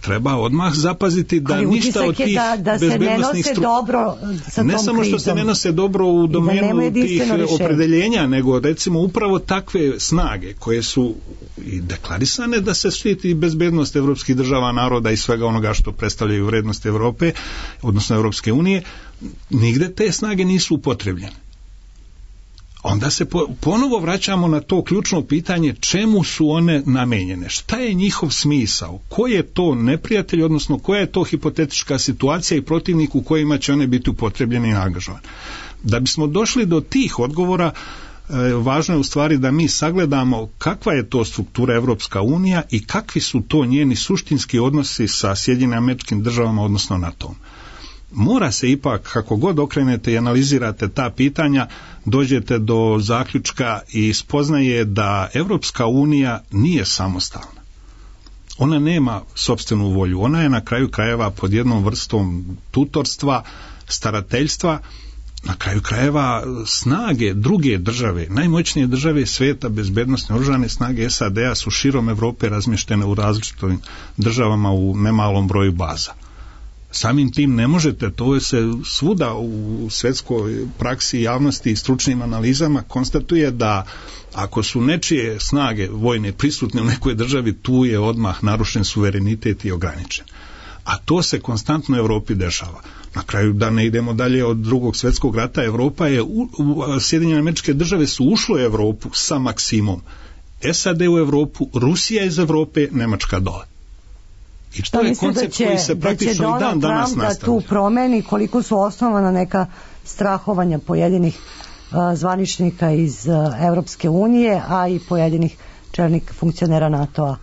Treba odmah zapaziti da ali ništa od tih da, da bezbednosnih stru... dobro sa ne samo što se ne nose dobro u domenu tih opredeljenja, nego recimo upravo takve snage koje su i deklarisane da se štiti bezbednost evropskih država, naroda i svega onoga što predstavljaju vrednosti Evrope, odnosno Evropske unije, nigde te snage nisu upotrebljene. Onda se po, ponovo vraćamo na to ključno pitanje čemu su one namenjene, šta je njihov smisao, ko je to neprijatelj, odnosno koja je to hipotetička situacija i protivnik u kojima će one biti upotrebljene i angažovane. Da bismo došli do tih odgovora, e, važno je u stvari da mi sagledamo kakva je to struktura Evropska unija i kakvi su to njeni suštinski odnosi sa Sjedinjenim Američkim Državama, odnosno NATO-om. mora se ipak, kako god okrenete i analizirate ta pitanja, dođete do zaključka i spoznaje da Evropska unija nije samostalna. Ona nema sopstvenu volju, ona je na kraju krajeva pod jednom vrstom tutorstva, starateljstva, na kraju krajeva snage druge države, najmoćnije države svijeta, bezbednosne oružane snage S A D-a su širom Evrope razmještene u različitim državama u nemalom broju baza. Samim tim ne možete, to se svuda u svjetskoj praksi, javnosti i stručnim analizama konstatuje da ako su nečije snage vojne prisutne u nekoj državi, tu je odmah narušen suverenitet i ograničen. A to se konstantno u Europi dešava. Na kraju, da ne idemo dalje od drugog svjetskog rata, Evropa je, u, u, Sjedinjene Američke Države su ušlo u Evropu sa Maksimom. S A D u Evropu, Rusija iz Evrope, Nemačka dole. I to je koncept će, koji se praktično i dan danas nastavlja. Da tu promeni, koliko su osnovana neka strahovanja pojedinih uh, zvaničnika iz uh, Evropske unije, a i pojedinih čelnih funkcionera NATO-a,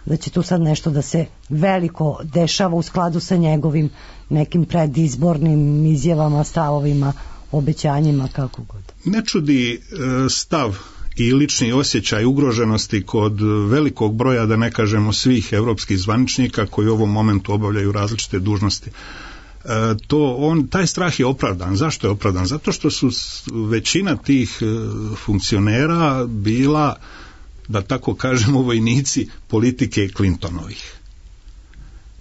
da će tu sad nešto da se veliko dešava u skladu sa njegovim nekim predizbornim izjavama, stavovima, obećanjima, kako god. Ne čudi uh, stav i lični osjećaj ugroženosti kod velikog broja, da ne kažemo svih evropskih zvaničnika koji u ovom momentu obavljaju različite dužnosti. E, to on, taj strah je opravdan. Zašto je opravdan? Zato što su većina tih e, funkcionera bila, da tako kažemo, vojnici politike Clintonovih.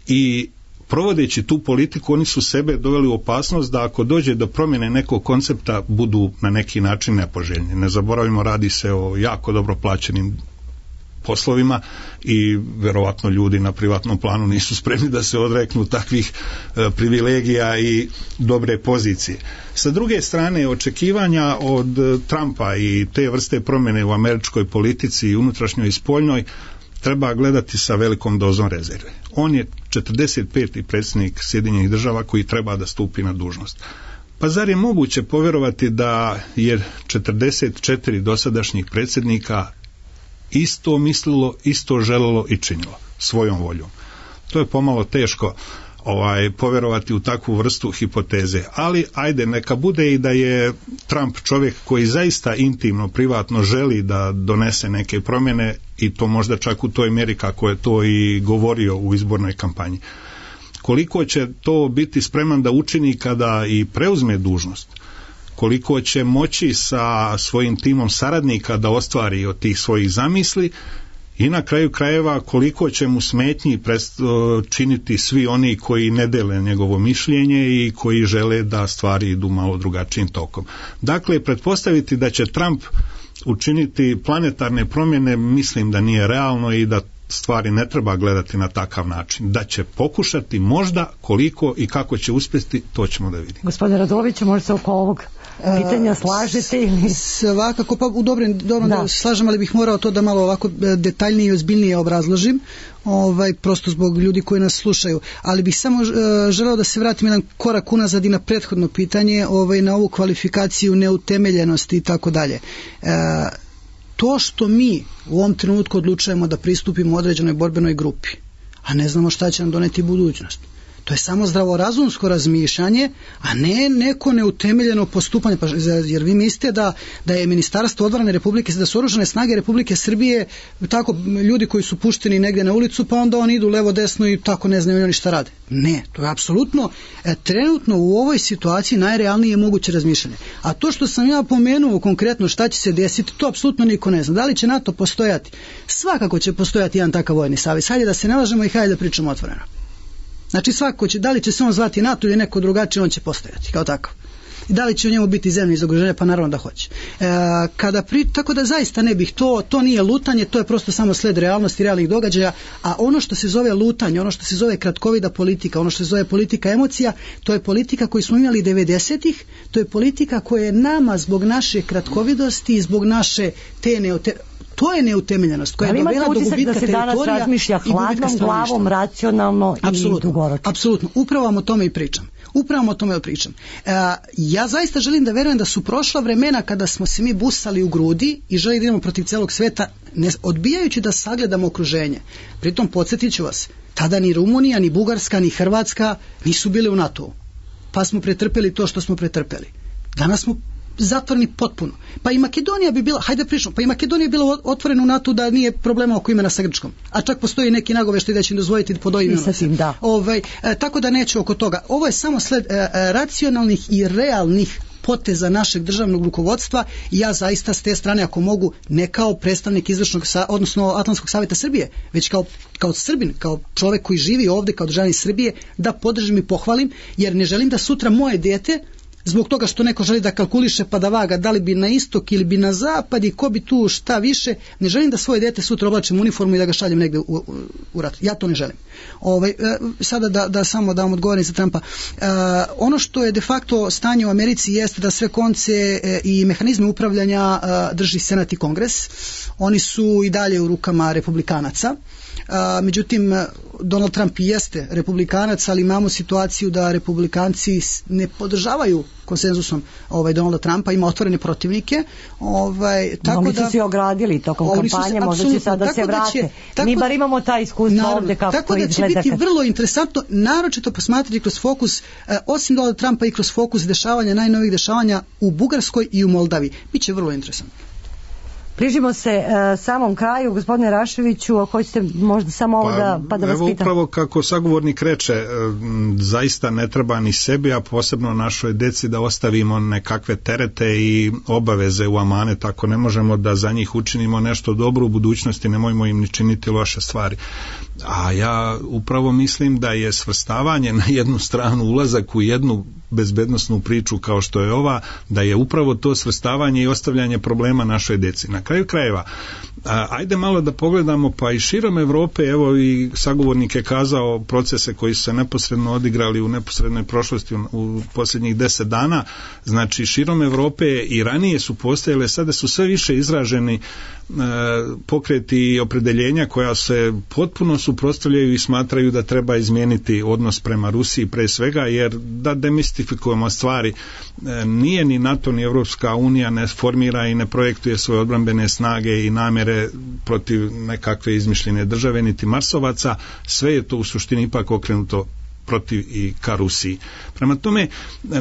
I provodeći tu politiku, oni su sebe doveli u opasnost da ako dođe do promjene nekog koncepta budu na neki način nepoželjni. Ne zaboravimo, radi se o jako dobro plaćenim poslovima i verovatno ljudi na privatnom planu nisu spremni da se odreknu takvih e, privilegija i dobre pozicije. Sa druge strane, očekivanja od Trumpa i te vrste promjene u američkoj politici, unutrašnjoj i spoljnoj, treba gledati sa velikom dozom rezerve. On je četrdeset peti predsjednik Sjedinjenih Država koji treba da stupi na dužnost. Pa zar je moguće povjerovati da je četrdeset četiri dosadašnjih predsjednika isto mislilo, isto želelo i činilo svojom voljom? To je pomalo teško ovaj, povjerovati u takvu vrstu hipoteze. Ali ajde, neka bude i da je Trump čovjek koji zaista intimno, privatno želi da donese neke promjene i to možda čak u toj mjeri kako je to i govorio u izbornoj kampanji. Koliko će to biti spreman da učini kada i preuzme dužnost? Koliko će moći sa svojim timom saradnika da ostvari od tih svojih zamisli? I na kraju krajeva koliko će mu smetnji činiti svi oni koji ne dele njegovo mišljenje i koji žele da stvari idu malo drugačijim tokom. Dakle, pretpostaviti da će Trump učiniti planetarne promjene, mislim da nije realno i da stvari ne treba gledati na takav način. Da će pokušati, možda, koliko i kako će uspjeti, to ćemo da vidimo. Gospodine Raduloviću, možda se oko ovog pitanja slažete ili? Svakako, pa u dobrim, dobro da. da slažem, ali bih morao to da malo ovako detaljnije i ozbiljnije obrazložim, ovaj, prosto zbog ljudi koji nas slušaju. Ali bih samo uh, želeo da se vratim jedan korak unazad i na prethodno pitanje, ovaj, na ovu kvalifikaciju neutemeljenosti i tako dalje. To što mi u ovom trenutku odlučujemo da pristupimo određenoj borbenoj grupi, a ne znamo šta će nam doneti budućnost, to je samo zdravorazumsko razmišljanje, a ne neko neutemeljeno postupanje. Pa, jer vi mislite da, da je Ministarstvo odbrane Republike, da su oružane snage Republike Srbije tako ljudi koji su pušteni negdje na ulicu, pa onda oni idu levo desno i tako ne znaju oni šta rade. Ne, to je apsolutno e, trenutno u ovoj situaciji najrealnije moguće razmišljanje. A to što sam ja pomenuo konkretno šta će se desiti, to apsolutno niko ne zna. Da li će NATO postojati? Svakako će postojati jedan takav vojni savez. Hajde da se ne lažemo i hajde da pričamo otvoreno. Znači svako će, da li će se on zvati NATO ili neko drugačije, on će postojati kao takav. I da li će u njemu biti zemlje iz okruženja, pa naravno da hoće. E, kada pri, tako da zaista ne bih, to, to nije lutanje, to je prosto samo sled realnosti, realnih događaja, a ono što se zove lutanje, ono što se zove kratkovida politika, ono što se zove politika emocija, to je politika koju smo imali devedesetih, to je politika koja je nama zbog naše kratkovidosti i zbog naše te neote... To je neutemeljenost koja je dovela do gubitka da se danas razmišlja hladnom glavom, racionalno apsolutno, i dugoročno. Apsolutno, upravo vam o tome i pričam. Upravo o tome pričam. E, ja zaista želim da verujem da su prošla vremena kada smo se mi busali u grudi i želi da idemo protiv celog sveta, ne, odbijajući da sagledamo okruženje. Pritom podsjetit ću vas, tada ni Rumunija, ni Bugarska, ni Hrvatska nisu bile u NATO-u. pa smo pretrpeli to što smo pretrpeli. Danas smo zatvoreni potpuno. Pa i Makedonija bi bila, hajde pričamo, pa i Makedonija bi bila otvorena u NATO da nije problema oko imena sa Grčkom. A čak postoji neki nagoveštaj da će im dozvoliti pod ovim imenom. Da. Ovaj, e, tako da neće oko toga. Ovo je samo sled e, e, racionalnih i realnih poteza našeg državnog rukovodstva i ja zaista s te strane, ako mogu, ne kao predstavnik izvršnog, odnosno Atlantskog savjeta Srbije, već kao, kao Srbin, kao čovjek koji živi ovdje, kao državljanin Srbije, da podržim i pohvalim, jer ne želim da sutra moje dijete, zbog toga što neko želi da kalkuliše pa da vaga da li bi na istok ili bi na zapad i ko bi tu šta više, ne želim da svoje dete sutra oblačim uniformu i da ga šaljem negde u, u, u rat. Ja to ne želim. Ovaj, sada da, da samo da vam odgovorim za Trumpa. E, ono što je de facto stanje u Americi jeste da sve konce e, i mehanizme upravljanja e, drži Senat i Kongres. Oni su i dalje u rukama republikanaca. A, međutim, Donald Trump jeste republikanac, ali imamo situaciju da republikanci ne podržavaju konsenzusom ovaj, Donalda Trumpa, ima otvorene protivnike. Ovaj, tako Oni da, su se ogradili tokom kampanje, možda će sada se vrate. Da Mi bar imamo taj iskustvo naravno, ovdje kako tako to da izgleda. Tako da će biti vrlo interesantno, naročito posmatrati kroz fokus, eh, osim Donalda Trumpa i kroz fokus dešavanja, najnovih dešavanja u Bugarskoj i u Moldavi. Biće vrlo interesantno. Prižimo se uh, samom kraju, gospodine Raševiću, ako hoćete možda samo ovo pa, da, pa da vas evo pitam. Upravo kako sagovornik reče, m, zaista ne treba ni sebi, a posebno našoj deci da ostavimo nekakve terete i obaveze u amanet, ako ne možemo da za njih učinimo nešto dobro u budućnosti, nemojmo im ni činiti loše stvari. A ja upravo mislim da je svrstavanje na jednu stranu, ulazak u jednu bezbednosnu priču kao što je ova, da je upravo to svrstavanje i ostavljanje problema našoj deci. Na kraju krajeva, a, ajde malo da pogledamo pa i širom Evrope, evo i sagovornik je kazao procese koji su se neposredno odigrali u neposrednoj prošlosti u, u posljednjih deset dana, znači širom Evrope i ranije su postojale, sada su sve više izraženi e, pokreti i opredeljenja koja se potpuno suprotstavljaju i smatraju da treba izmijeniti odnos prema Rusiji pre svega, jer da demistifikujemo stvari, e, nije ni NATO ni Evropska unija ne formira i ne projektuje svoje odbrambene snage i namjere protiv nekakve izmišljene države niti Marsovaca, sve je to u suštini ipak okrenuto protiv i ka Rusiji. Prema tome,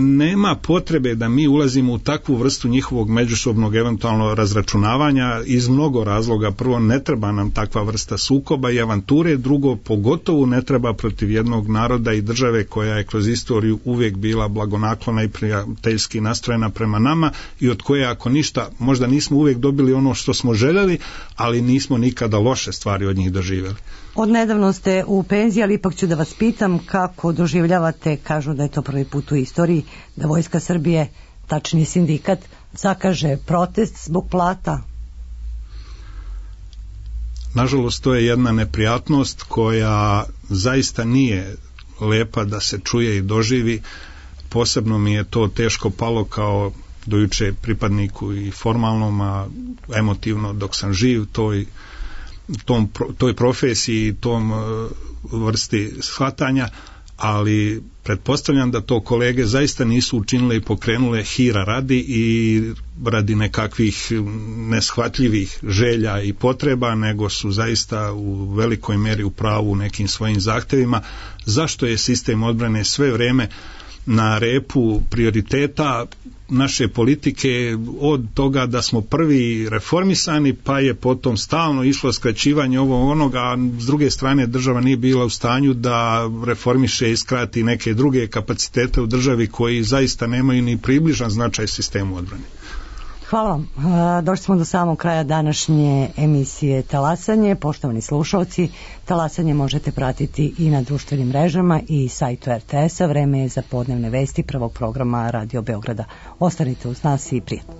nema potrebe da mi ulazimo u takvu vrstu njihovog međusobnog eventualno razračunavanja iz mnogo razloga. Prvo, ne treba nam takva vrsta sukoba i avanture, drugo, pogotovo ne treba protiv jednog naroda i države koja je kroz istoriju uvijek bila blagonaklona i prijateljski nastrojena prema nama i od koje, ako ništa, možda nismo uvijek dobili ono što smo željeli, ali nismo nikada loše stvari od njih doživjeli. Od nedavno ste u penziji, ali ipak ću da vas pitam kako doživljavate, kažu da je to prvi put u istoriji, da Vojska Srbije, tačnije sindikat, zakaže protest zbog plata. Nažalost, to je jedna neprijatnost koja zaista nije lepa da se čuje i doživi. Posebno mi je to teško palo kao dojuče pripadniku i formalnom, a emotivno dok sam živ toj tom, toj profesiji, tom vrsti shvatanja, ali pretpostavljam da to kolege zaista nisu učinile i pokrenule hira radi i radi nekakvih neshvatljivih želja i potreba, nego su zaista u velikoj meri u pravu u nekim svojim zahtevima. Zašto je sistem odbrane sve vrijeme na repu prioriteta naše politike, od toga da smo prvi reformisani, pa je potom stalno išlo skraćivanje ovo onoga, a s druge strane država nije bila u stanju da reformiše i skrati neke druge kapacitete u državi koji zaista nemaju ni približan značaj sistemu odbrane. Hvala vam. Došli smo do samog kraja današnje emisije Talasanje. Poštovani slušalci, Talasanje možete pratiti i na društvenim mrežama i sajtu er te es-a. Vreme je za podnevne vesti prvog programa Radio Beograda. Ostanite uz nas i prijatno.